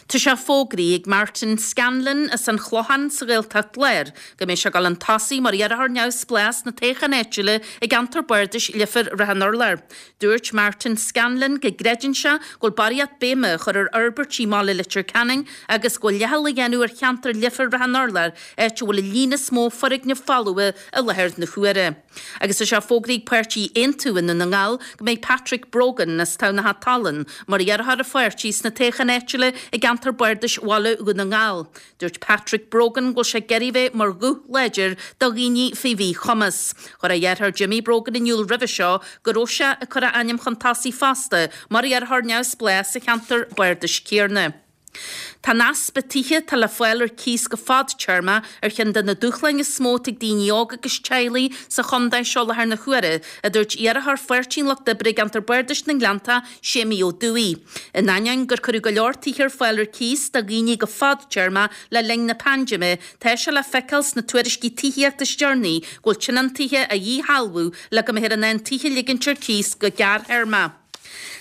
Tá sé fógraithe ag Martin Scanlon as an Chlochán sa Ghaeltacht Láir go mbeidh sé ag dul chun tosaigh mar iarrthóir neamhspleách sna toghcháin áitiúla i gceantar bardais Leifear Ráth an Urláir. Dúirt Martin Scanlon go gcreideann sé go bhfuil barraíocht béime á chur ar fhorbairtí i mbaile Leitir Ceanainn agus go bhfuil leithcheal á dhéanamh ar cheantar Leifear Ráth an Urláir, áit a bhfuil an líon is mó foirgneamh folmha i láthair na huaire. Agus tá sé fógraithe ag páirtí Aontú i nDún na nGall go mbeidh Patrick Brogan as Tamhnach Tallann mar iarrthóir an pháirtí sna toghcháin áitiúla i gceantar bardais Bhaile Dhún na nGall. Dúirt Patrick Brogan go bhfuil sé ag iarraidh bheith mar ghuth láidir do dhaoine faoi mhíchumas. Chuir a dheartháir Jimmy Brogan in iúl roimhe seo go raibh sé ag cur a ainm chun tosaigh fosta mar iarrthóir neamhspleách sa cheantar bardais céanna. Tá an easpa tithe atá le fáil ar cíos go fadtéarma ar cheann de na dúshláin is mó atá ag daoine óga agus teaghlaigh sa chontae seo i láthair na huaire, a dúirt iarrthóir Pháirtí an Lucht Oibre i gceantar Bardais na nGleannta, Séimí Ó Dubhthaigh. In ainneoin gur cuireadh go leor tithe ar fáil ar cíos do dhaoine go fadtéarma le linn na paindéime, tá sé le feiceáil sna tuairiscí tithíochta is deireanaí go bhfuil tionóntaithe á dhíshealbhú le go mbeifear in ann tithe a ligint ar cíos go gearrthéarma.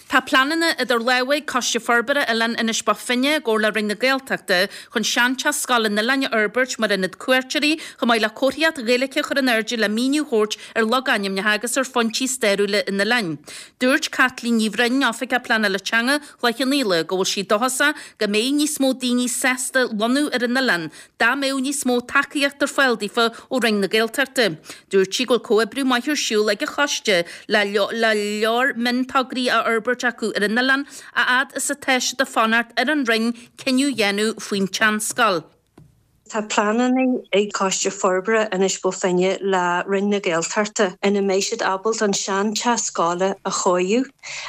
Tá pleananna idir lámha ag Coiste Forbartha Oileán Inis Bó Finne i gcomhar le Roinn na Gaeltachta chun seanteach scoile an oileáin a fhorbairt mar ionad cuairteoirí chomh maith le comharthaíocht Ghaeilge a chur in airde le míniú a thabhairt ar logainmneacha agus ar phointí stairiúla an oileáin. Dúirt Caitlín Ní Bhroin, Oifigeach Pleanála Teanga Chloich Cheann Fhaola, go bhfuil sí dóchasach go mbeidh níos mó daoine sásta lonnú ar an oileán dá mbeadh níos mó tacaíocht ar fáil daofa ó Roinn na Gaeltachta. Dúirt sí go bhfuil comhoibriú maith ar siúl ag an choiste le le leor miontograí á fhorbairt acu ar an oileán a fhad is atá siad ag fanacht ar an Roinn cinneadh a dhéanamh faoin tseanscoil. Tá pleananna ag Coiste Forbartha Inis Bó Finne le Roinn na Gaeltachta ina mbeidh siad ábalta an seanteach scoile a chóiriú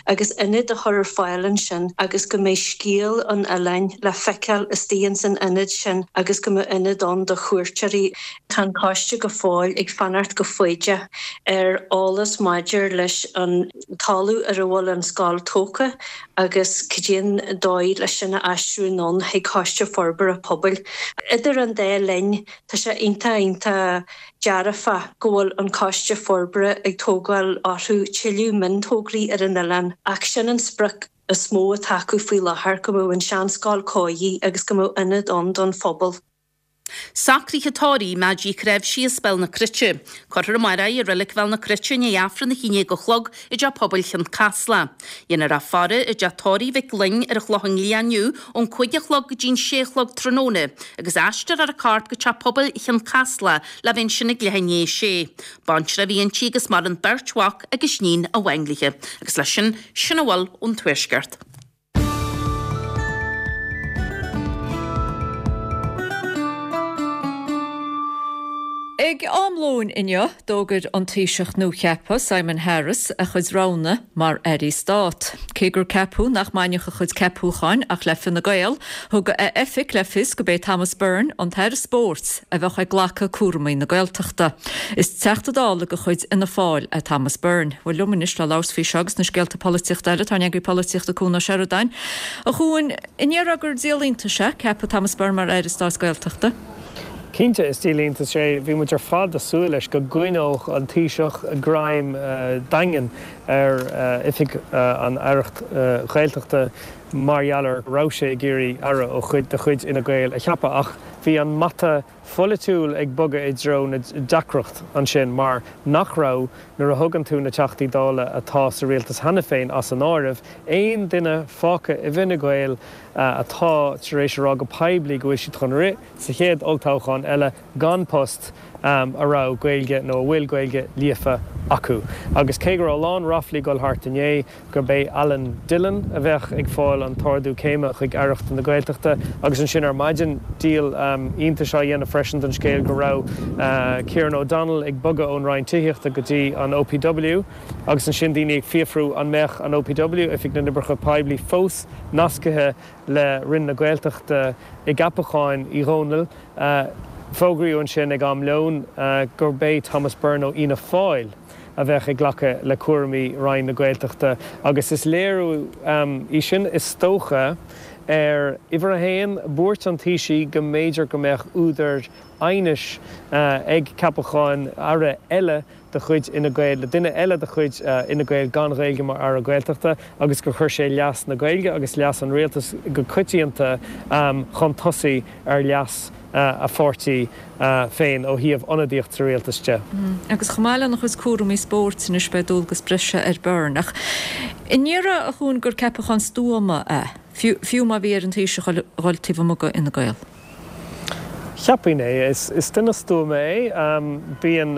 agus ionad a chur ar fáil ansin agus go mbeidh scéal an oileáin le feiceáil istigh ins an ionad sin agus go mbeidh ionad ann do chuairteoirí. Tá an coiste go fóill ag fanacht go foighdeach ar eolas maidir leis an talamh ar a bhfuil an scoil tógtha agus cad é an dóigh leis sin a aistriú anonn chuig Coiste Forbartha Pobail. Idir an dá linn, tá sé iontach iontach dearfach go bhfuil an Coiste Forbartha ag tógáil orthu tuilleadh miontograí ar an oileán ach sin an sprioc is mó atá acu faoi láthair, go mbeadh an seanscoil cóirithe agus go mbeadh ionad ann don phobal. Socruithe tórraimh Maggie Chreimhsí as Béal na Cruite. Cuirfear amárach í i Reilig Bhéal na Cruite i ndiaidh Aifreann a haon déag a chlog i dTeach Pobail Chionn Caslach. Dhéanfar í a faire i dteach tórraimh Mhic Fhloinn ar an Chlochán Liath inniu ón cúig a chlog go dtí'n sé a chlog tráthnóna agus aistreofar a corp go Teach Pobail Chionn Caslach le bheith ansin ag leath i ndiaidh a sé. Baintreach a bhí inti agus maireann beirt mhac agus níon amháin léi. Agus leis sin, sin a bhfuil ón Tuaisceart. Ag am lóin inniu, d'fhógair an Taoiseach nuacheaptha, Simon Harris, a chuid roghanna mar Airí Stáit. Cé gur ceapadh nach mbainfeadh a chuid ceapúcháin ach le Fine Gael, thug a oifig le fios gurb é Thomas Byrne, an tAire Spóirt, a bheadh ag glacadh cúramaí na Gaeltachta. Is Teachta Dála de chuid Fhianna Fáil é Thomas Byrne. Bhuel liom anois le labhairt faoi seo agus na scéalta polaitíochta eile, tá ár n-eagraí polaitíochta Cuan Ó Seireadáin. A Chuain, an ndéarfá gur díol iontais é ceapadh Thomas Byrne mar Aire Stáit Gaeltachta? Cinnte, is díol iontais é. Bhí muid ar fad ag súil leis go gcoinneodh an Taoiseach greim daingean ar oifig an Aireacht Ghaeltachta mar gheall ar go raibh sé ag iarraidh aire ó chuid de chuid Fhine Gael a cheapadh ach bhí an mata pholaitiúil ag bogadh i dtreo na deacracht ansin mar nach raibh, nuair a thugann tú na Teachtaí Dála atá sa rialtas cheana féin as an áireamh, aon duine fágtha i bhFine Gael atá tar éis a rá go poiblí go bhfuil siad chun rith sa chéad olltoghchán eile gan post a raibh Gaeilge nó a bhfuil Gaeilge líofa acu. Agus cé go raibh a lán ráflaí ag dul thart inné gurb é Alan Dillon a bheadh ag fáil an t-ardú céime chuig Aireacht na Gaeltachta agus ansin ar maidin díol iontais á dhéanamh freisin den scéal go raibh Kieran O'Donnell ag bogadh ón Roinn Tithíochta go dtí an OPW agus ansin daoine ag fiafrú an mbeadh an OPW, Oifig na nOibreacha Poiblí, fós nascaithe le Roinn na Gaeltachta i gceapacháin Uí Dhónaill. Fógraíodh ansin ag am lóin gurb é Thomas Byrne ó Fhianna Fáil a bheadh ag glacadh le cúraimí Roinn na Gaeltachta agus is léiriú í sin is dócha ar, uimhir a haon, buairt an Taoisigh go mb'fhéidir go mbeadh údar aighnis ag ceapachán aire eile de chuid Fhine Gael le duine eile de chuid Fhine Gael gan Ghaeilge mar Aire Gaeltachta agus gur chuir sé leas na Gaeilge agus leas an rialtais go coitianta chun tosaigh ar leas a pháirtí féin ó thaobh ionadaíocht sa rialtas de. Agus chomh maith lena chuid cúraimí spóirt anois beidh dualgas breise ar Byrne. Ach an ndéarfá, a Chuain, gur ceapachán stuama é, fiú má bhí ar an Taoiseach a dhul taobh amuigh de Fhine Gael? Cheapfainn é. Is duine stuama é. Bíonn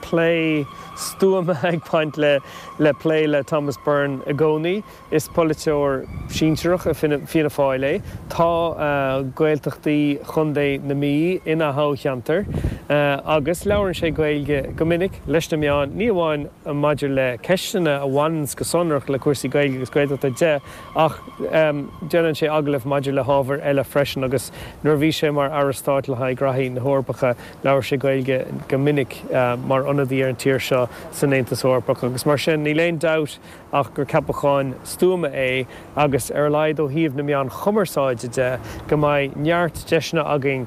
plé stuama ag baint le le plé le Thomas Byrne i gcónaí. Is polaiteoir sinsearach i Fianna Fáil é. Tá Gaeltachtaí Chontae na Mí ina thoghcheantar agus labhrann sé Gaeilge go minic leis na meáin, ní amháin maidir le ceisteanna a bhaineanns go sonrach le cúrsaí Gaeilge agus Gaeltachta de ach déanann sé agallaimh maidir le hábhair eile freisin agus nuair a bhí sé mar Aire Stáit le haghaidh Graithí na hEorpacha labhair sé Gaeilge go minic mar ionadaí ar an tír seo san Aontas Eorpach agus mar sin níl aon dabht ach gur ceapachán stuama é agus ar a laghad ó thaobh na meáin chumarsáide de go mbeidh neart deiseanna againn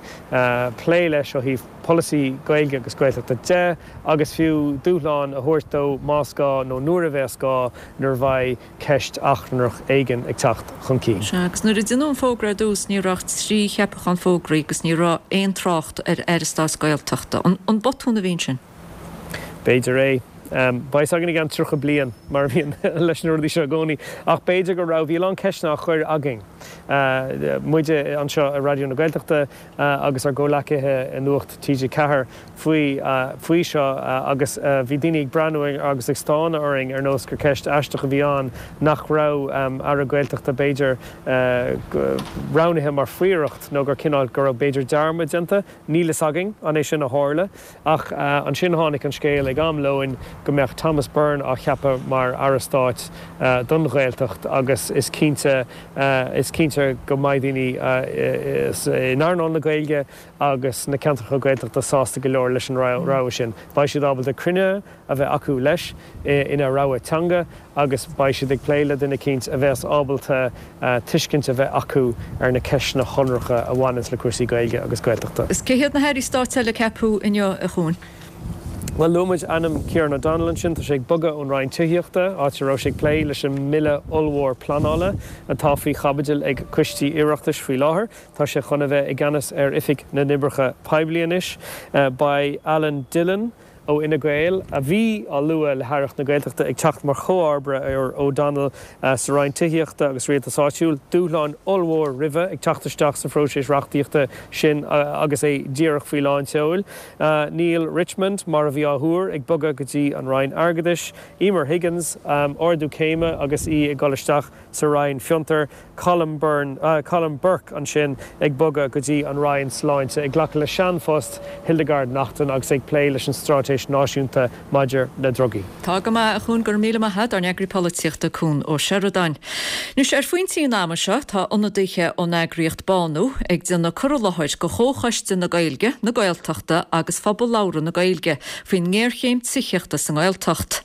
plé leis ó thaobh polasaí Gaeilge agus Gaeltachta de agus fiú dúshlán a thabhairt dó más gá nó nuair a bheas gá nuair a bheidh ceist achrannach éigin ag teacht chun cinn. Sea, agus nuair a deineadh an fógra ar dtús ní raibh ach trí cheapachán fógraithe agus ní raibh aon trácht ar Aire Stáit Gaeltachta. An botún a bhí ansin? B'fhéidir é. Beidh a fhios againn i gceann tríocha bliain, mar a bhíonn leis na rudaí seo i gcónaí. Ach b'fhéidir go raibh, bhí a lán ceisteanna á chur againn, muide anseo i Raidió na Gaeltachta agus ár gcomhleacaithe i Nuacht T G ceathair, faoi faoi seo agus bhí daoine ag breathnú agus ag stánadh orainn ar nós gur ceist aisteach a bhí ann nach raibh Aire Gaeltachta b'fhéidir roghnaithe mar phríoracht nó gur cineál go raibh b'fhéidir dearmad déanta. Níl fhios againn an é sin a tharla ach ansin tháinig an scéal ag am lóin go mbeadh Thomas Byrne á cheapadh mar Aire Stáit don Ghaeltacht agus is cinnte is cinnte go mbeidh daoine in earnáil na Gaeilge agus sna ceantracha Gaeltachta sásta go leor leis an rogha sin. Beidh siad ábalta cruinnithe a bheith acu leis ina rogha teanga agus beidh siad ag plé le duine eicínt a bheas ábalta tuiscint a bheith acu ar na ceisteanna shonracha a bhaineanns le cúrsaí Gaeilge agus Gaeltachta. Is cé hiad na hairí stáit eile a ceapadh inniu, a Chuain? Bhuel, luaigh muid ainm Kieran O'Donnell ansin. Tá sé ag bogadh ón Roinn Tithíochta, áit a raibh sé ag plé leis an mbille ollmhór pleanála atá faoi chaibidil ag coistí Oireachtais faoi láthair. Tá sé chun a bheith i gceannas ar Oifig na nOibreacha Poiblí anois. Beidh Alan Dillon ó Fhine Gael, a bhí á lua le hAireacht na Gaeltachta, ag teacht mar chomharba ar O'Donnell sa Roinn Tithíochta agus Rialtais Áitiúil. Dúshlán ollmhór roimhe ag teacht isteach sa phróiseas reachtaíochta sin agus é díreach faoi lán tseoil. Neale Richmond, mar a bhí á thuar, ag bogadh go dtí an Roinn Airgeadais. Emer Higgins, ardú céime agus í ag dul isteach sa Roinn Fiontar. Colm Byrne, Colm Burke ansin ag bogadh go dtí an Roinn Sláinte, ag glacadh le seanphost Hildegarde Naughton agus ag plé leis an Straitéis Náisiúnta maidir le Drugaí. Tá go maith, a Chuain, go raibh míle maith agat, ár n-eagraí polaitíochta Cuan Ó Seireadáin. Anois, ar phointí an ama seo, tá ionadaithe ón eagraíocht Bánú ag déanamh cur i láthair go Chomhchoiste na Gaeilge, na Gaeltachta agus Phobal Labhartha na Gaeilge faoin ngéarchéim tithíochta sa nGaeltacht.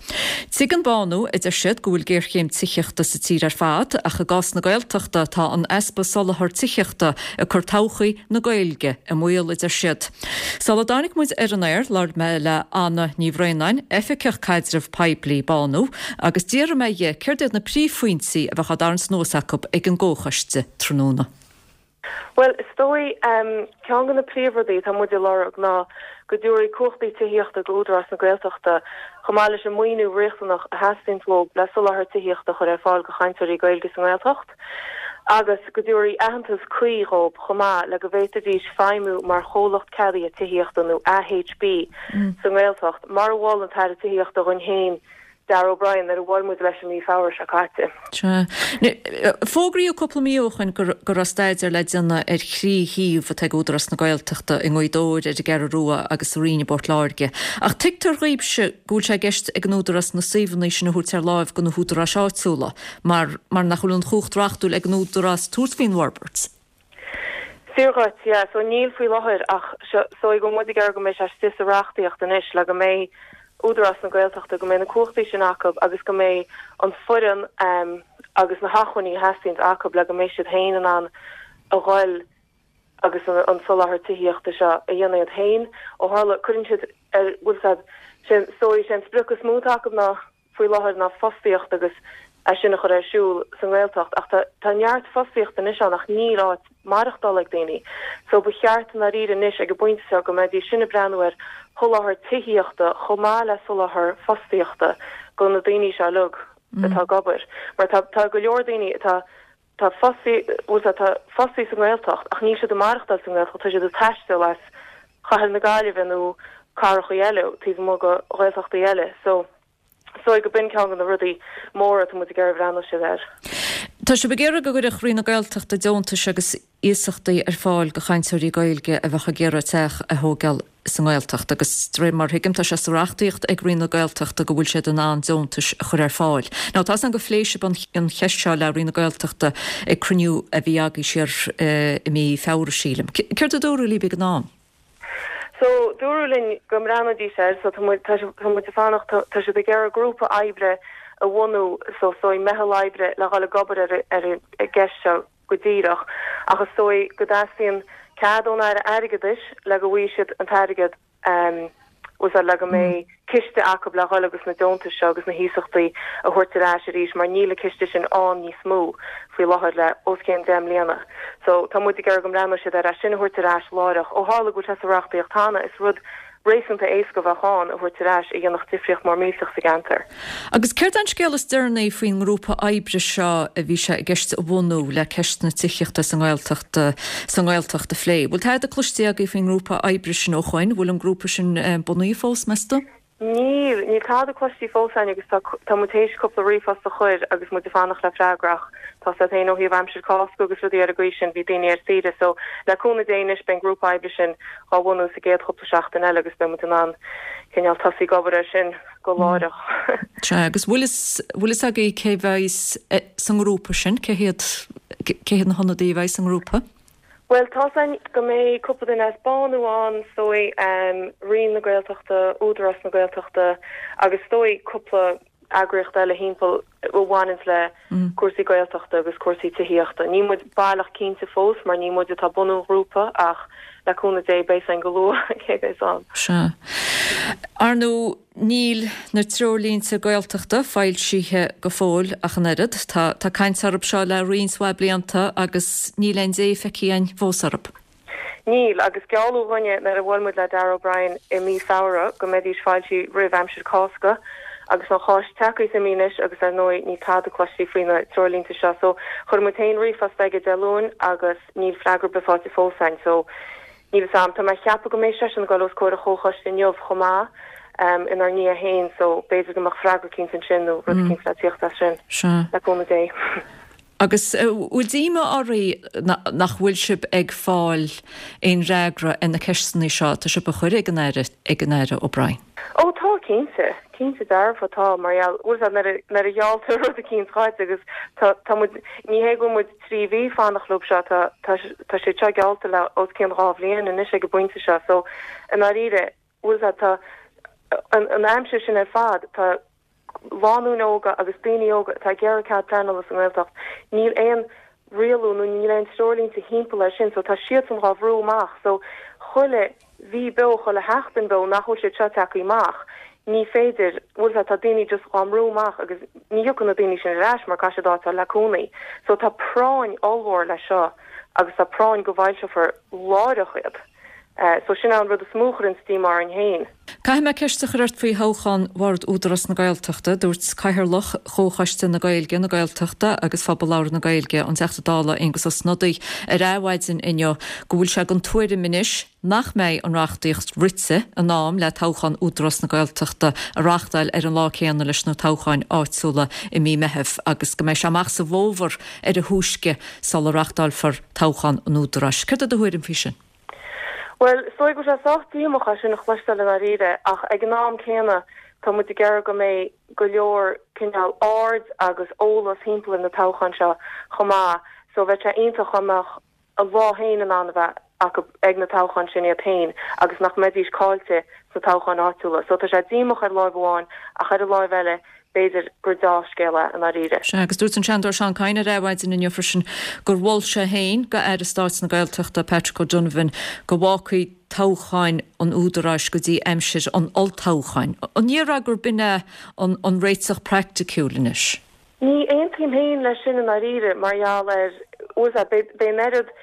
Tuigeann Bánú, a deir siad, go bhfuil géarchéim tithíochta sa tír ar fad ach i gcás na Gaeltachta tá an easpa soláthar tithíochta ag cur todhchaí na Gaeilge i mbaol, a deir siad. Sula dtáinig muid ar an aer, labhair mé le Anna Ní Bhraonáin, Oifigeach Caidreamh Poiblí Bánú, agus d'fhiafraigh mé dhi céard iad na príomhphointí a bheadh á dtarraingt anuas acu ag an gComhchoiste tráthnóna. Bhuel, is dóigh, ceann de na príomhrudaí atá muid ag lorg ná go dtabharfaí cumhachtaí tithíochta go Údarás na Gaeltachta chomh maith leis an maoiniú riachtanach a theastaíonn uathu le soláthar tithíochta a chur ar fáil do chainteoirí Gaeilge sa nGaeltacht agus go dtabharfaí aitheantas cuí dhóibh chomh maith le go bhféadfaidís feidhmiú mar chomhlacht ceadaithe tithíochta nó A H B sa nGaeltacht mar a mhol an tAire Tithíochta dhúinn féin Darragh O'Brien nuair a bhuail muid leis i mí Feabhra seo caite. Sea. Fógraíodh cúpla mí ó shoin go raibh staidéar le déanamh ar thrí shuíomh atá ag Údarás na Gaeltachta i nGaoth Dobhair, ar an gCeathrú Rua agus sa Rinn i bPort Láirge. Ach tuigtear dhaoibhse go bhfuil sé i gceist ag an Údarás na suíomhanna sin a thabhairt ar láimh do na húdaráis áitiúla mar mar nach bhfuil an chumhacht reachtúil ag an Údarás tabhairt faoin bhforbairt. Fíor dhuit, yeah. So níl faoi láthair ach so go bhfuil muid ag iarraidh go mbeidh sé istigh sa reachtaíocht anois le go mbeidh Údarás na Gaeltachta, go mbeidh na cumhachtaí sin acu agus go mbeidh an foireann agus na hacmhainní a theastaíonns acu le go mbeidh siad féin in ann a ghoil agus an soláthar tithíochta seo a dhéanamh iad féin. Ó tharla, cuireann siad ar, bhfuil 's a'd, sé, is dóigh, sé an sprioc is mó atá acu ná faoi láthair ná fostaíocht agus é sin a chur ar siúl sa nGaeltacht ach tá tá neart fostaíochta anois ann ach níl áit maireachtála ag daoine so ba cheart i ndáiríre anois ag an bpointe seo go mbeidís sin ag breathnú ar sholáthar tithíochta chomh maith le soláthar fostaíochta go na daoine seo uilig atá ag obair mar tá tá go leor daoine atá Tá fostaí, bhfuil tá fostaí sa nGaeltacht ach níl siad ag maireachtáil sa nGaeltacht, tá siad ag taisteal as Cathair na Gaillimhe nó cathrachaí eile, taobh amuigh de Ghaeltachtaí eile. So, is dóigh go b'in ceann de na rudaí móra atá muid ag iarraidh breathnú siad air. Tá sibh ag iarraidh go gcuirfeadh Roinn na Gaeltachta deontais agus iasachtaí ar fáil do chainteoirí Gaeilge a bheadh ag iarraidh teach a thógáil sa nGaeltacht agus de réir mar a thuigim tá sé sa reachtaíocht ag Roinn na Gaeltachta go bhfuil siad in ann deontais a chur ar fáil. Now tá a fhios agam gur phléigh sibh an cheist seo le Roinn na Gaeltachta ag cruinniú a bhí agaibh siar i mí Feabhra sílim. Céard a dúradh libh ag an am? So, dúradh linn go mbreathnóidís air, so tá muid, tá muid ag fanacht, tá siad ag iarraidh grúpa oibre a bhunú, so is dóigh meitheal oibre le dhul ag obair ar ar an gceist seo go díreach, ach is dóigh go dteastaíonn cead ón Aire Airgeadais le go bhfaighidh siad an t-airgead, bhfuil a fhios agat, le go mbeidh ciste acu le dhul agus na deontais seo agus na hiasachtaí a thabhairt ar ais arís mar níl an ciste sin ann níos mó faoi láthair le os cionn deich mbliana. So tá muid ag iarraidh go mbreathnóidh siad ar é sin a thabhairt ar ais láithreach. Ó tharla go bhfuil sé sa reachtaíocht cheana, is rud réasúnta éasca a bheadh ann a thabhairt ar ais a dhéanfadh difríocht mór millteach sa gceantar. Agus céard é an scéal is deireanaí faoin ngrúpa oibre seo a bhí sé i gceist a bhunú le ceist na tithíochta sa nGaeltacht sa nGaeltacht a phlé? Bhfuil tada cloiste agaibh faoin ngrúpa oibre sin ó shoin? Bhfuil an grúpa sin bunaithe fós, meas tú? Níl, níl tada cloiste fós againn agus tá tá muid théis cúpla ríomhphost a chur agus muid ag fanacht le freagra ach tá a fhios agat féin ó thaobh aimsir Cásca agus rudaí ar an gcaoi sin bhí daoine ar saoire so le cúnamh Dé anois beidh an grúpa oibre sin á bhunú sa gcéad chúpla seachtain eile agus beidh muid in ann cineál tosaí ag obair air sin go láithreach. Sea, agus bhfuil fhios bhfuil fhios agaibh cé bheidh sa ngrúpa sin, cé hiad cé hiad na hionadaithe a bheidh sa ngrúpa? Bhuel, tá a fhios againn go mbeidh cúpla duine as Bánú ann, is dóigh, Roinn na Gaeltachta, Údarás na Gaeltachta agus is dóigh cúpla eagraíocht eile thimpeall a bhaineanns le cúrsaí Gaeltachta agus cúrsaí tithíochta. Níl muid baileach cinnte fós mar ní muid atá ag bunú an ghrúpa ach le cúnamh Dé beidh a fhios againn go luath cé a bheas ann. Sea. Ar ndóigh, níl na treoirlínte Gaeltachta foilsithe go fóill ach an oiread. Tá tá caint orthu seo le roinnt mhaith blianta agus níl aon dé feicthe againn fós orthu. Níl, agus gealladh dhúinne nuair a bhuail muid le Darragh O'Brien i mí Feabhra go mbeidís foilsithe roimh aimsir Cásca agus an Cháisc tagtha is imithe anois agus ar ndóigh níl tada cloiste faoi na treoirlínte seo so chuir muid féin ríomhphost aige Dé Luain agus níl freagra ar bith faighte fós againn so Níl fhios a'm. Tá mé ag ceapadh go mbeidh seisean ag dul os comhair an chomhchoiste inniu chomh maith, inár ndiaidh féin, so b'fhéidir go mbeadh freagra eicínt ansin nó rud eicínt le tíocht as sin, le cúnamh Dé. Agus bhfuil díoma oraibh nach bhfuil sibh ag fáil aon fhreagra ar na ceisteanna seo atá sibh a chur ag an Aire, ag an Aire O'Brien? Ó tá, cinnte. Cinnte dearfa tá, mar gheall, bhfuil fhios a'd, nuair a, nuair a ghealltar rud eicínt dhuit agus tá, tá muid, ní hé go bhfuil muid trí mhí ag fanacht leo seo, tá, tá, tá sé seo geallta le os cionn dhá bhliain anois ag an bpointe seo so i ndáiríre, bhfuil fhios a'd, tá an, an aimsir sin ar fad, tá lánúin óga agus daoine óga atá ag iarraidh cead pleanála sa nGaeltacht, níl aon rialú nó níl aon treoirlínte thimpeall air sin so tá siadsan dhá bhrú amach so chuile mhí beo, chuile sheachtain beo nach bhfuil siad seo tagtha amach ní féidir, bhfuil fhios a'd, tá daoine just dhá mbrú amach agus ní thiocfaidh na daoine sin ar ais mar caithfidh siad áit a fháil le cónaí so tá práinn ollmhór leis seo agus tá práinn go bhfoilseofar láithreach iad. So sin é an rud is mó a chuireanns díomá orainn féin. Caithfidh mé ceist a chur ort faoi thoghchán Bhord Údarás na Gaeltachta. Dúirt Cathaoirleach Chomhchoiste na Gaeilge, na Gaeltachta agus Phobal Labhartha na Gaeilge, an Teachta Dála Aengus Ó Snodaigh, ar Adhmhaidin inniu go bhfuil sé den tuairim anois nach mbeidh an reachtaíocht rite in am le toghchán Údarás na Gaeltachta a reáchtáil ar an lá céanna leis na toghcháin áitiúla i mí Meithimh agus go mbeidh sé amach sa bhfómhar ar a thúisce sula reáchtálfar toghchán an Údaráis. Céard é do thuairim faoi sin? Bhuel, is dóigh go bhfuil sé sách díomách é sin a chloisteáil i ndáiríre, ach ag an am céanna tá muid ag iarraidh go mbeidh go leor cineál aird agus eolas thimpeall ar na toghcháin seo chomh maith so bheadh sé iontach dá mbeadh a lá féin in ann a bheith acu ag na toghcháin sin iad féin agus nach mbeidís caillte sna toghcháin áitiúla. So tá sé díomách ar láimh amháin ach ar an láimh eile b'fhéidir gur deá-scéal é i ndáiríre. Sea, agus dúirt an Seanadóir Seán Kyne ar Adhmhaidin inniu freisin gur mhol sé féin do Aire Stáit na Gaeltachta Patrick O'Donovan go bhfágfaí toghcháin an Údaráis go dtí aimsir an olltoghcháin. An ndéarfá gurb in é an réiteach praiticiúil anois? Ní aontaím féin leis sin i ndáiríre mar gheall ar, bhfuil fhios a'd, beidh an oiread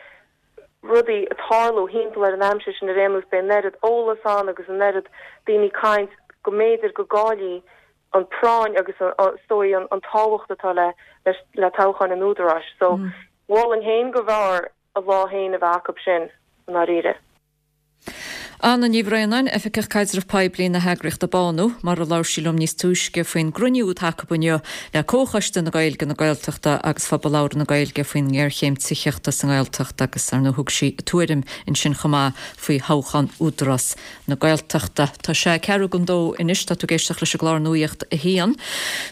rudaí ag tarlú thimpeall ar an aimsir sin ar aon nós, beidh an oiread eolas ann agus an oiread daoine ag caint go mb'fhéidir go gcaillfí an práinn agus is dóigh an tábhacht atá le le toghchán an Údaráis. So mholfainn féin go mb'fhearr a lá féin a bheith acu sin i ndáiríre. Anna Ní Bhraonáin, Oifigeach Caidreamh Poiblí na heagraíochta Bánú, mar a labhair sí liom níos túisce faoin gcruinniú atá acu inniu le Comhchoiste na Gaeilge, na Gaeltachta agus Phobal Labhartha na Gaeilge faoin ngéarchéim tithíochta sa nGaeltacht agus ar ndóigh thug sí a tuairim ansin chomh maith faoi thoghchán Údarás na Gaeltachta. Tá sé ceathrú don dó anois, tá tú ag éisteacht leis an gclár Nuacht a haon.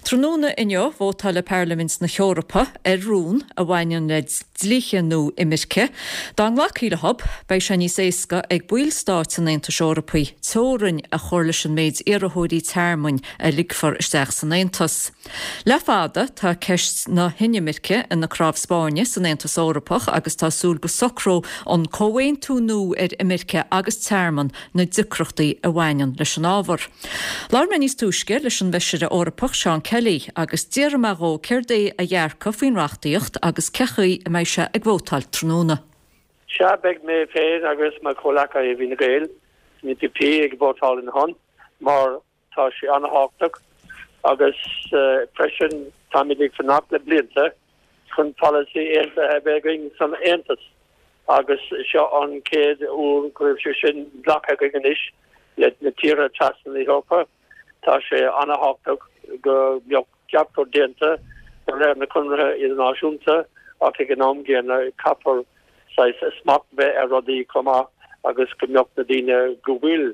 Tráthnóna inniu, vótáil Parlaimint na hEorpa ar rún a bhaineann le dlíthe nua imirce. Dá nglacfaí leo, beidh sé níos éasca ag ballstáit an Aontais Eorpaigh teorainn a chur leis an méid iarrthóirí tearmainn a ligfear isteach san Aontas. Le fada tá ceist na hinimirce ina cnámh spairne san Aontas Eorpach agus tá súil go socródh an comhaontú nua ar imirce agus tearmann na deacrachtaí a bhaineann leis an ábhar. Labhair mé níos túisce leis an bhFeisire Eorpach Seán Kelly agus d'iarr mé dhó céard é a dhearcadh faoin reachtaíocht agus cén chaoi a mbeidh sé ag vótáil tráthnóna. Sea, beidh mé féin agus mo chomhghleacaithe i bhFine Gael, san E P P ag vótáil ina shon mar tá sé an-thábhachtach agus freisin táimid ag fanacht le blianta chun polasaí aontaithe a bheith againn san Aontas agus seo an chéad uair go raibh sé sin glactha againn anois le na tíortha trasna na hEorpa. Tá sé an-thábhachtach go mbeadh gach rud déanta de réir na conartha idirnáisiúnta ach ag an am gcéanna caithfear saghas smacht bheith ar rudaí chomh maith agus go mbeadh na daoine go bhfuil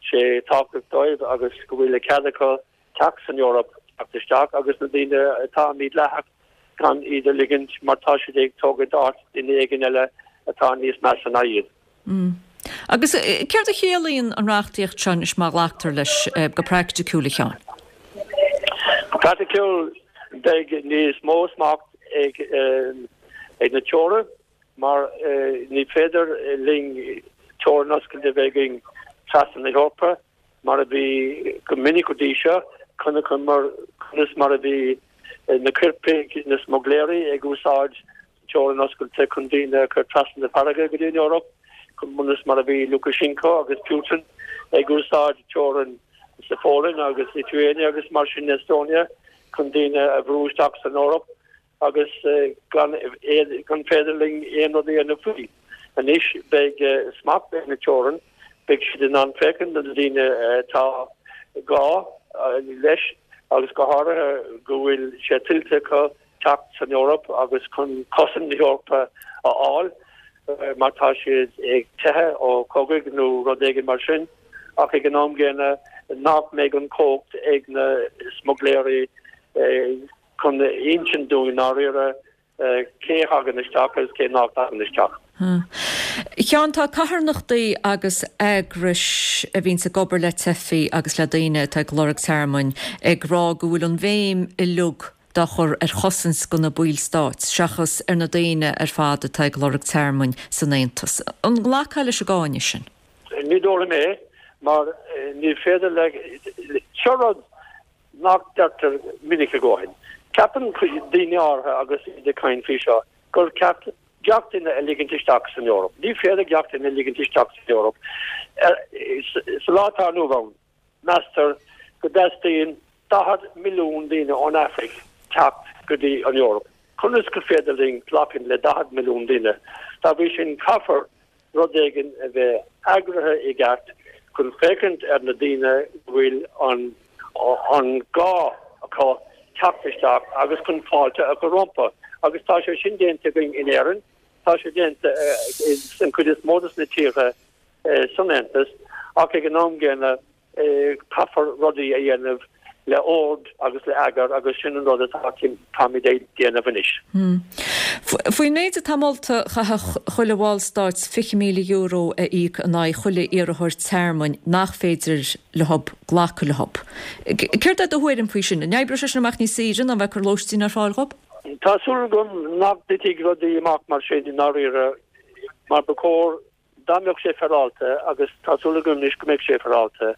sé tábhachtach dóibh agus go bhfuil a cead acu teacht san Eoraip teacht isteach agus na daoine atá mídhleathach gan iad a ligint mar tá siad ag tógaint áit duine éigin eile atá níos measa ná iad. Agus céard a chiallaíonn an reachtaíocht seo anois má ghlactar leis go praiticiúil, a Sheáin? Go praiticiúil beidh níos mó smacht ag ag na teorann mar ní féidir linn teorainn oscailte a bheith againn trasna na hEorpa mar a bhí go minic go dtí seo, chonaiceamar conas mar a bhí na coirpigh, na smuigléirí ag úsáid teorainn oscailte chun daoine a chur trasna na farraige go dtí an Eoraip, conas mar a bhí Lukashenko agus Putin ag úsáid teorainn sa Pholainn agus Lithuania agus mar sin Estonia chun daoine a bhrú isteach san Eoraip agus gan gan féidir linn aon rud a dhéanamh faoi. Anois beidh smacht ag na teorann, beidh siad in ann féachaint do na daoine atá gá leis agus go háirithe go bhfuil sé tuillte acu teacht san Eoraip agus chun cosaint na hEorpa a fháil mar tá siad ag teitheadh ó chogaidh nó rud éigin mar sin ach ag an am gcéanna nach mbeidh an chumhacht ag na smuigléirí chun insint dúinn i ndáiríre cé a thagann isteach agus cé nach dtagann isteach. A Sheáin, tá carthanachtaí agus eagrais a bhíonns ag obair le teifigh agus le daoine atá ag lorg tearmainn ag rá go bhfuil an bhéim uilig dá chur ar chosaint do na baill stáit seachas ar na daoine ar fad atá ag lorg tearmainn san Aontas. An nglacfá leis an gcáineadh sin? Ní dóigh liom é, mar ní féidir le, seo rud nach deirtear minic a dhóthain. Ceapann daoine áirithe agus iad ag caint faoi seo gur ceart gach duine a ligint isteach san Eoraip. Ní féidir gach duine a ligint isteach san Eoraip. Sa lá atá inniu ann, meastar go dteastaíonn daichead milliún daoine ón Afraic teacht go dtí an Eoraip. Conas gur féidir linn glacadh le daichead milliún duine? Dá bhrí sin, caithfear rud éigin a bheith eagraithe i gceart chun féachaint ar na daoine go bhfuil an an gá acu teacht isteach agus chun fáilte a chur rompu. Agus tá sé sin déanta againn in Éirinn, tá sé déanta in cuid is mó de na tíortha san Aontas, ach ag an am gcéanna caithfear rudaí a dhéanamh le ord agus le eagar agus sin an rud atá táimid ag déanamh anois. Faoin méid atá molta, chaithfeadh chuile bhallstát fiche míle euro a íoc in aghaidh chuile iarrthóir tearmainn nach féidir leo glacadh leo. Céard é do thuairim faoi sin? An oibreodh sé sin amach níos saoire ná bheith ag cur lóistín ar fáil dhóibh? Tá súil agam nach dtitfidh rudaí amach mar sin i ndáiríre mar ba chóir Dá mbeadh sé féaráilte, agus tá súil agam anois go mbeidh sé féaráilte,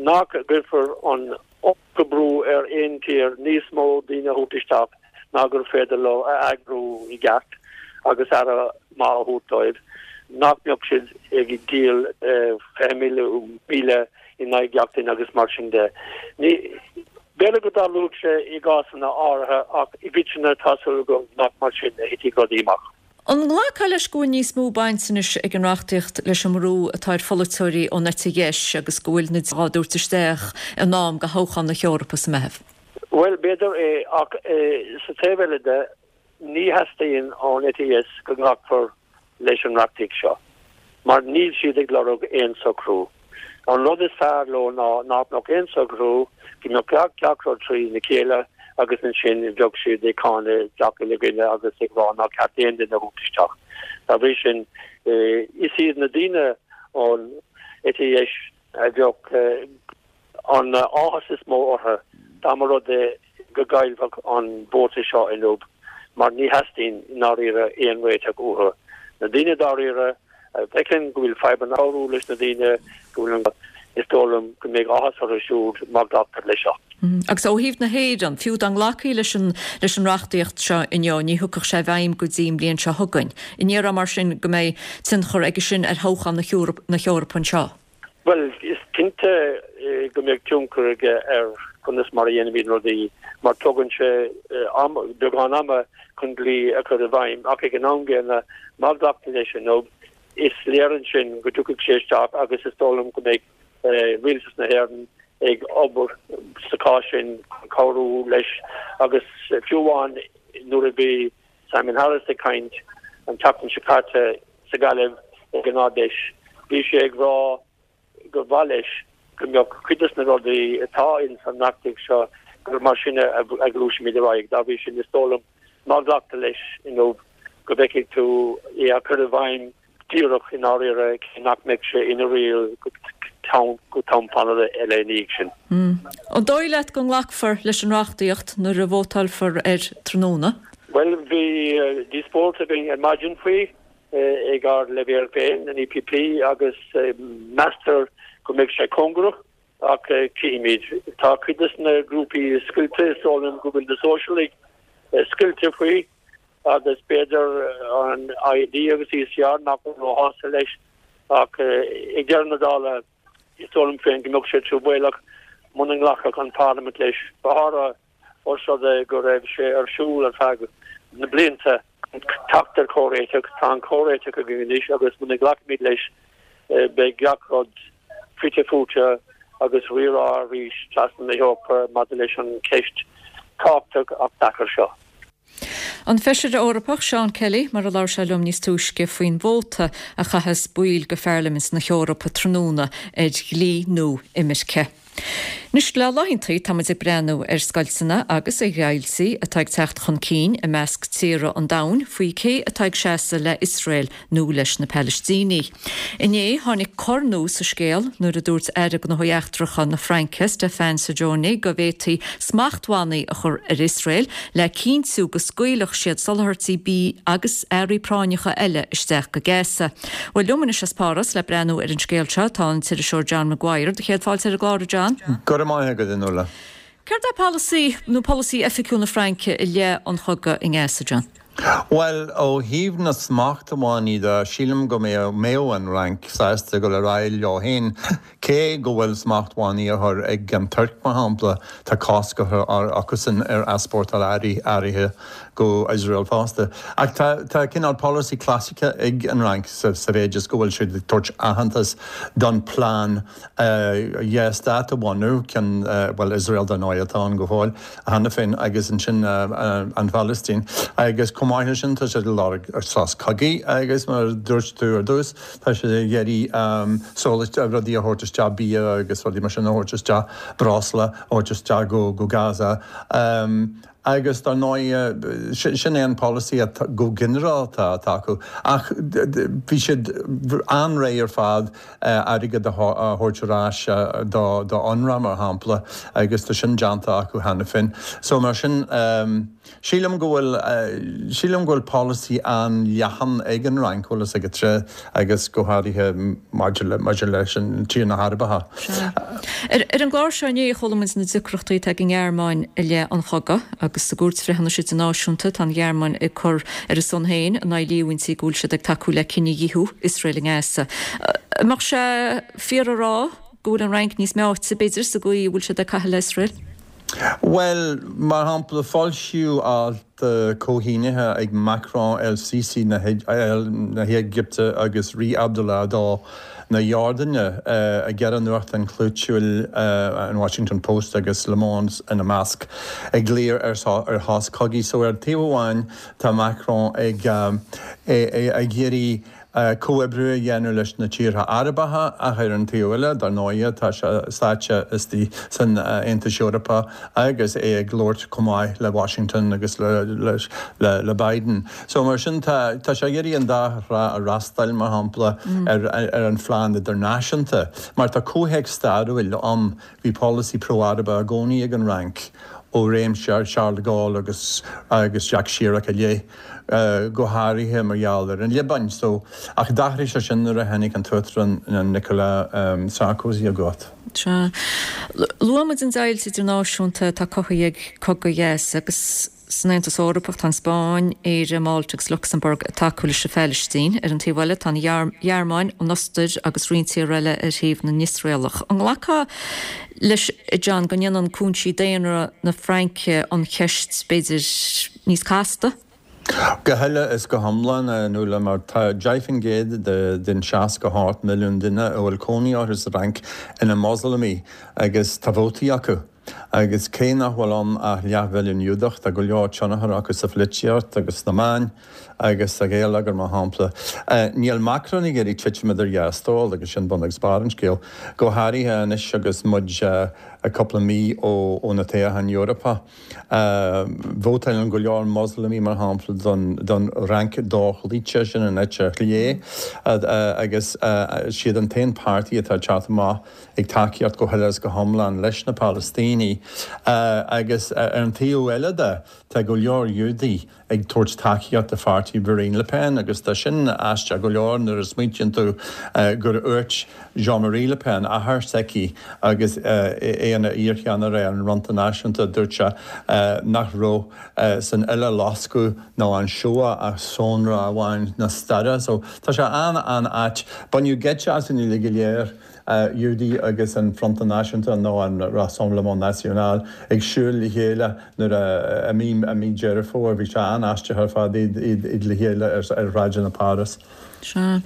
nach gcuirfear an iomarca brú ar aon tír níos mó daoine a thabhairt isteach ná gur féidir leo a eagrú i gceart agus aire maith a thabhairt dóibh, nach mbeadh siad ag díol fiche míle in aghaidh gach duine agus mar sin de. Ní, b'fhéidir go dtarlódh sé i gcásanna áirithe ach i gcoitinne tá súil agam nach mar sin a thitfidh rudaí amach. An nglacfá leis go bhfuil níos mó baint anois ag an reachtaíocht leis an mbrú atá ar pholaiteoirí ón eite dheis agus go bhfuil na á dtabhairt isteach in am do thoghchán na hEorpa sa Meitheamh? Bhuel, b'fhéidir é, ach sa taobh eile de, ní theastaíonn ón eite dheis go nglacfar leis an reachtaíocht seo, mar níl siad ag lorg aon socrú. An rud is fearr leo ná nach mbeadh aon socrú, go mbeadh gach rud trí na chéile agus ansin bheadh siad ag cáineadh gach uile dhuine agus ag rá nár cheart aon duine a thabhairt isteach. Dá bhrí sin, is iad na daoine ón eite dheis a bheadh an áthas is mó orthu dá mba rud é go gcaillfeadh an vóta seo inniu mar ní theastaíonn i ndáiríre aon réiteach uathu. Na daoine dáiríre a bhfeiceann go bhfuil fadhbanna cabhrú leis na daoine go bhfuil an is dóigh liom go mbeidh áthas orthu siúd má ghlactar leis seo. Agus ó thaobh na hÉireann, fiú dá nglacfaí leis an leis an reachtaíocht seo inniu, ní thiocfadh sé i bhfeidhm go dtí an bhliain seo chugainn. An ndéarfá mar sin go mbeidh tionchar aige sin ar thoghchán na hEorpa anseo? Bhuel, is cinnte go mbeidh tionchar aige ar conas mar a dhéanfaimid rudaí mar tógann sé am, beagán ama chun dlí a chur i bhfeidhm ach ag an am gcéanna má ghlactar leis inniu, Is léir ansin go dtiocfaidh sé isteach agus is dóigh liom go mbeidh Rialtas na hÉireann ag obair sa chás sin chun cabhrú leis agus fiú amháin nuair a bhí Simon Harris ag caint an tseachtain seo caite sa Ghaillimh ag an Ard-Fheis bhí sé ag rá gur mhaith leis go mbeadh cuid de na rudaí atá ins an reachtaíocht seo gur mar sin a ghluaisfimid ar aghaidh. Dá bhrí sin is dóigh liom má ghlactar leis inniu go bhfeicfidh tú é á chur i bhfeidhm díreach i ndáiríre cé nach mbeidh sé ina riail go ceann tamall eile ina dhiaidh sin. An dóigh leat go nglacfar leis an reachtaíocht nuair a vótálfar air tráthnóna? Bhuel, bhí díospóireacht againn ar maidin faoi ag ár leibhéal féin, an EPP, agus meastar go mbeidh sé cóngarach ach cífimid. Tá cuid de na grúpaí scoilte, is dóigh liom go bhfuil na Sóisialaigh scoilte faoi agus b'fhéidir an ID agus ECR nach bhfuil róshásta leis ach ag deireadh na dála is dóigh liom féin go mbeadh sé truamhéalach muna nglacfadh an Pharlaimint leis, go háirithe os rud é go raibh sé ar siúl ar feadh na blianta teacht ar chomhréiteach. Tá an comhréiteach againn anois agus muna nglacfaimid leis beidh gach rud fite fuaite agus rírá arís trasna na hEorpa maidir leis an cheist tábhachtach ach deacair seo. An Feisire Eorpach Seán Kelly mar a labhair sé liom níos túisce faoin vóta a chaithfeas baill de Pharlaimint na hEorpa tráthnóna ar dhlí nua imirce. Anois le laethantaí táimid ag breathnú ar scoilteanna agus ar dheighiltí atá ag teacht chun cinn i measc tíortha an domhain faoi cé atá ag seasamh le Iosrael nó leis na Palaistínigh. Inné tháinig cor nua sa scéal nuair a dúirt Aire Gnóthaí Eachtracha na Fraince Stéphane Séjourné go bhféadfaí smachtbhannaí a chur ar Iosrael le cinntiú go scaoilfeadh siad soláthairtí bídh agus earraí práinneacha eile isteach go Gaza. Bhuel liom anois as Páras le breathnú ar an scéal seo tá an t-iriseoir John Maguire. Do chéad fáilte ar an gclár, a John. Go raibh maith agat, a Nuala. Céard é polasaí nó polasaí oifigiúil na Fraince i leith an chogaidh i nGaza, John? Bhuel, ó thaobh na smachtbhannaí de, sílim go mbeadh an Fhrainc sásta dul ar aghaidh leo féin, cé go bhfuil smachtbhannaí á chur ag an Tuirc, mar shampla, tá cosc á chur acusan ar easpórtáil earraí áirithe go Iosrael fosta. Ach tá tá cineál polasaí clasaiceach ag an Fhrainc sa sa mhéid is go bhfuil siad ag tabhairt aitheantas don plean dhá stát a bhunú, ceann, bhuel Iosrael dar ndóigh atá ann go fóill cheana féin agus ansin an Phalaistín. Agus chomh maith leis sin tá siad ag lorg sos cogaidh agus mar a dúirt tú ar dtús tá siad ag iarraidh soláthairtí rudaí a thabhairt isteach, bia agus rudaí mar sin a thabhairt isteach, breosla a thabhairt isteach go go Gaza. Agus dar ndóigh, sin é an polasaí go ginearálta atá acu. Ach bhí siad an-réidh ar fad airgead a thabhairt ar ais do UNRWA, mar shampla, agus tá sin déanta acu cheana féin. So mar sin, sílim go bhfuil, sílim go bhfuil polasaí an-leathan ag an Fhrainc, bhfuil fhios agat, agus go háirithe maidir le, maidir leis an tír na hArabacha. Sea. Ar an gclár seo inné chuala muid na deacrachtaí atá ag an nGearmáin i leith an chogaidh agus sa gCúirt Bhreithiúnais Idirnáisiúnta tá an Ghearmáin ag cur ar a son féin in aghaidh líomhaintí go bhfuil siad ag tacú le cinedhíothú Iosrael i nGaza. An mbeadh sé fíor a rá go bhfuil an Fhrainc níos meáite, b'fhéidir, sa gcaoi a bhfuil siad ag caitheamh le Iosrael? Bhuel, mar shampla, foilsíodh alt comhshínithe ag Macron, El Sisi na hÉigipte agus Rí Abdullah a dó na Iordáine i gceithre nuachtán clúitiúil, an Washington Post agus Le Monde ina measc, ag glaoch ar shos cogaidh. So ar taobh amháin tá Macron ag iarraidh comhoibriú a dhéanamh leis na tíortha Arabacha ach ar an taobh eile, dar ndóighe, tá sé sáite istigh san Aontas Eorpach agus é ag labhairt chomh maith le Washington agus le Biden. So mar sin tá tá sé ag iarraidh an dá thrá a fhreastal, mar shampla, ar ar an phlean idirnáisiúnta. Mar tá comhthéacs stairiúil ann, bhí polasaí pro-Arabach i gcónaí ag an Fhrainc ó réim Charles de Gaulle agus agus Jacques Chirac i leith, go háirithe mar gheall ar an Liobáin. So, ach d'athraigh sé sin nuair a tháinig an tUachtarán Nicolas Sarkozy i gcumhacht. Sea. Luaigh muid an deighilt idirnáisiúnta atá cothaithe ag cogadh Ghaza agus san Aontas Eorpach tá an Spáinn, Éire, Málta agus Lucsamburg ag tacú leis an Phalaistín. Ar an taobh eile tá an Ghearmáin, an Ostair agus roinnt tíortha eile ar thaobh na nIosraelach. An nglacfá leis, a John, go ndéanann cúinsí daonra na Fraince an cheist, b'fhéidir, níos casta? Go huile is go hiomlán, a Nuala, mar tá deich faoin gcéad den seasca hocht milliún duine a bhfuil cónaí orthu sa Fhrainc ina Moslamaigh agus tá vótaí acu. Agus cé nach bhfuil ann ach leathmhilliún Giúdach, tá go leor tionchar acu sa pholaitíocht agus sna meáin agus sa gheilleagar, mar shampla. Níl Macron ag iarraidh titim idir dhá stól agus sin bun agus barr an scéil, go háirithe anois agus muid cúpla mí ó na toghcháin Eorpacha. Vótálann go leor Moslamaigh, mar shampla, don Fhrainc dhochloíte, sin an eite chlé, agus siad an t-aon páirtí atá ag teacht amach ag tacaíocht go huile is go hiomlán leis na Palaistínigh. Agus ar an taobh eile de, tá go leor Giúdaigh ag tabhairt tacaíocht do pháirtí Marine Le Pen agus tá sin aisteach go leor nuair a smaointíonn tú gur dhúirt Jean-Marie Le Pen, athair s'aici agus é ina iarcheannaire ar an Fhronta Náisiúnta, dúirt sé nach raibh san Uileloscadh nó an Shoah ach sonra amháin na staire. So tá sé an-an-ait. Baineadh geit asainn uilig go léir. Giúdaigh agus an Fronta Náisiúnta nó an Rassemblement National ag siúl le chéile nuair a i mí i mí Deireadh Fómhair. Bhí sé an-aisteach ar fad iad iad le chéile ar ar shráideanna Páras. Sea.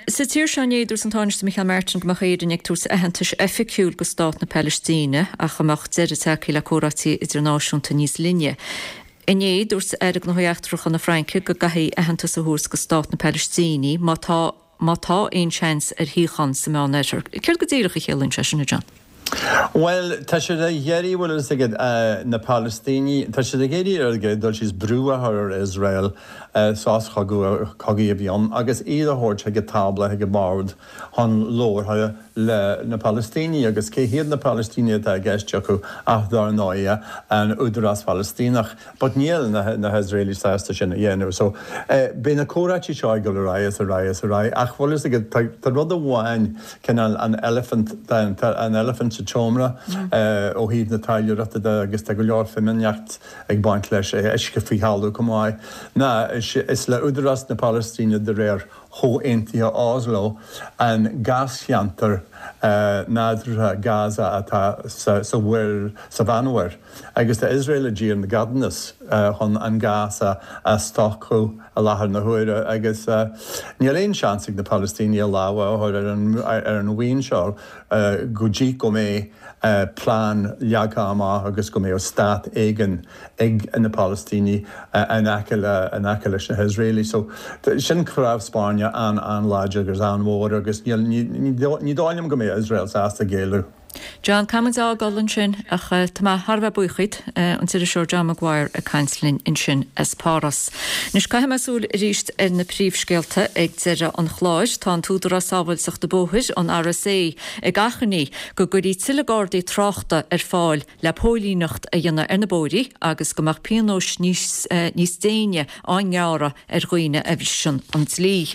Sa tír seo inné, dúirt an Tánaiste Micheál Martin go mbeadh Éirinn ag tabhairt aitheantais oifigiúil go stát na Palaistíne ach go mbeadh deireadh tagtha le comhráití idirnáisiúnta níos linne. Inné, dúirt Aire Gnóthaí Eachtracha na Fraince go gcaithfí aitheantas a thabhairt go stát na Palaistíne má tá má tá aon seans ar shíocháin sa Meánoirthear. Céard go díreach a chiallaíonn sé sin, a John? Bhuel, tá siad ag iarraidh, bhfuil a fhios agat, na Palaistínigh, tá siad ag iarraidh ar an gcéad dul síos brú a chur ar Iosrael sos cogaidh a bhí ann agus iad a thabhairt chuig an tábla, chuig an mbord chun labhartha le na Palaistínigh. Agus cé hiad na Palaistínigh atá i gceist acu ach dar ndóighe an Údarás Phalaistíneach. But níl na na hIosraelaigh sásta sin a dhéanamh. So beidh na comhráití seo ag dul ar aghaidh is ar aghaidh is ar aghaidh ach bhfuil a fhios agat, tá tá rud amháin, cineál an eilifint, tá an eilifint sa tseomra ó thaobh na taidhleoireachta de agus tá go leor fimíneacht ag baint leis, uisce faoi thalamh chomh maith, ná is le Údarás na Palaistíne de réir Chomhaontuithe Oslo an gáscheantar nádúrtha Gaza atá sa mhuir, sa Mheánmhuir, agus tá Iosrael i dtír na gceadúnas chun an gás a stopadh i láthair na huaire agus níl aon seans ag na Palaistínigh a lámha a chur ar an mhaoin seo go dtí go mbeidh plean leagtha amach agus go mbeadh stát éigin ag na Palaistínigh in aice le, in aice leis na hIosraelaigh. So sin cnámh spairne an-an-láidir agus an-mhór agus níl, ní, ní dóigh liom go mbeidh Iosrael sásta géilleadh. John, caithfidh muid a fhágáil ansin ach tá mé thar a bheith buíoch díot, an t-iriseoir John Maguire ag caint linn ansin as Páras. Anois caithfidh mé súil arís ar na príomhscéalta ag deireadh an chláir. Tá an tÚdarás Sábháilteachta Bóthair, an RSA, ag achainí go gcuirfí tuilleadh gardaí tráchta ar fáil le póilíneacht a dhéanamh ar na bóithre agus go mbeadh pionóis níos níos déine á ngearradh ar dhaoine a bhriseann an dlí.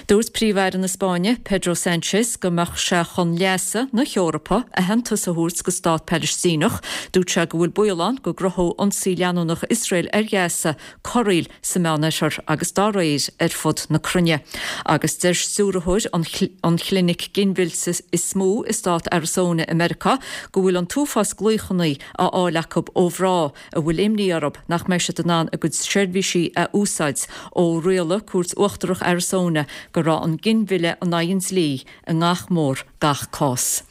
Dúirt Príomh-Aire na Spáinne, Pedro Sánchez, go mbeadh sé chun leasa na hEorpa aitheantas a thabhairt go stát Palaistíneach. Dúirt sé go bhfuil baol ann go gcruthódh ionsaí leanúnach Iosrael ar Ghaza corraíl sa Meánoirthear agus dá réir ar fud na cruinne. Agus deir stiúrthóir an chlinic ginmhillte is mó i stát Arizona i Meiriceá go bhfuil an t-uafás glaochanna á fháil acu ó mhná a bhfuil imní orthu nach mbeidh siad in ann a gcuid seirbhísí a úsáid ó rialaigh Cúirt Uachtarach Arizona go raibh an ginmhilleadh in aghaidh an dlí i ngach mór gach cás.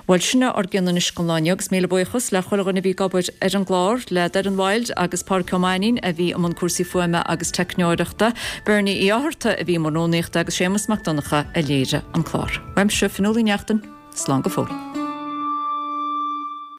Bhuel sin é ár gcion anois don lá inniu agus míle buíochas le chuile dhuine a bhí ag obair ar an gclár, le Doireann Wilde agus Pádraic Ó Mainnín a bhí i mbun cúrsaí fuaime agus teicneoireachta, Bernie Uí Fhátharta a bhí i mbun rúnaíochta agus Séamus Mac Donncha a léirigh an clár. Uaimse, Fionnuala Uí Neachtain, slán go fóill.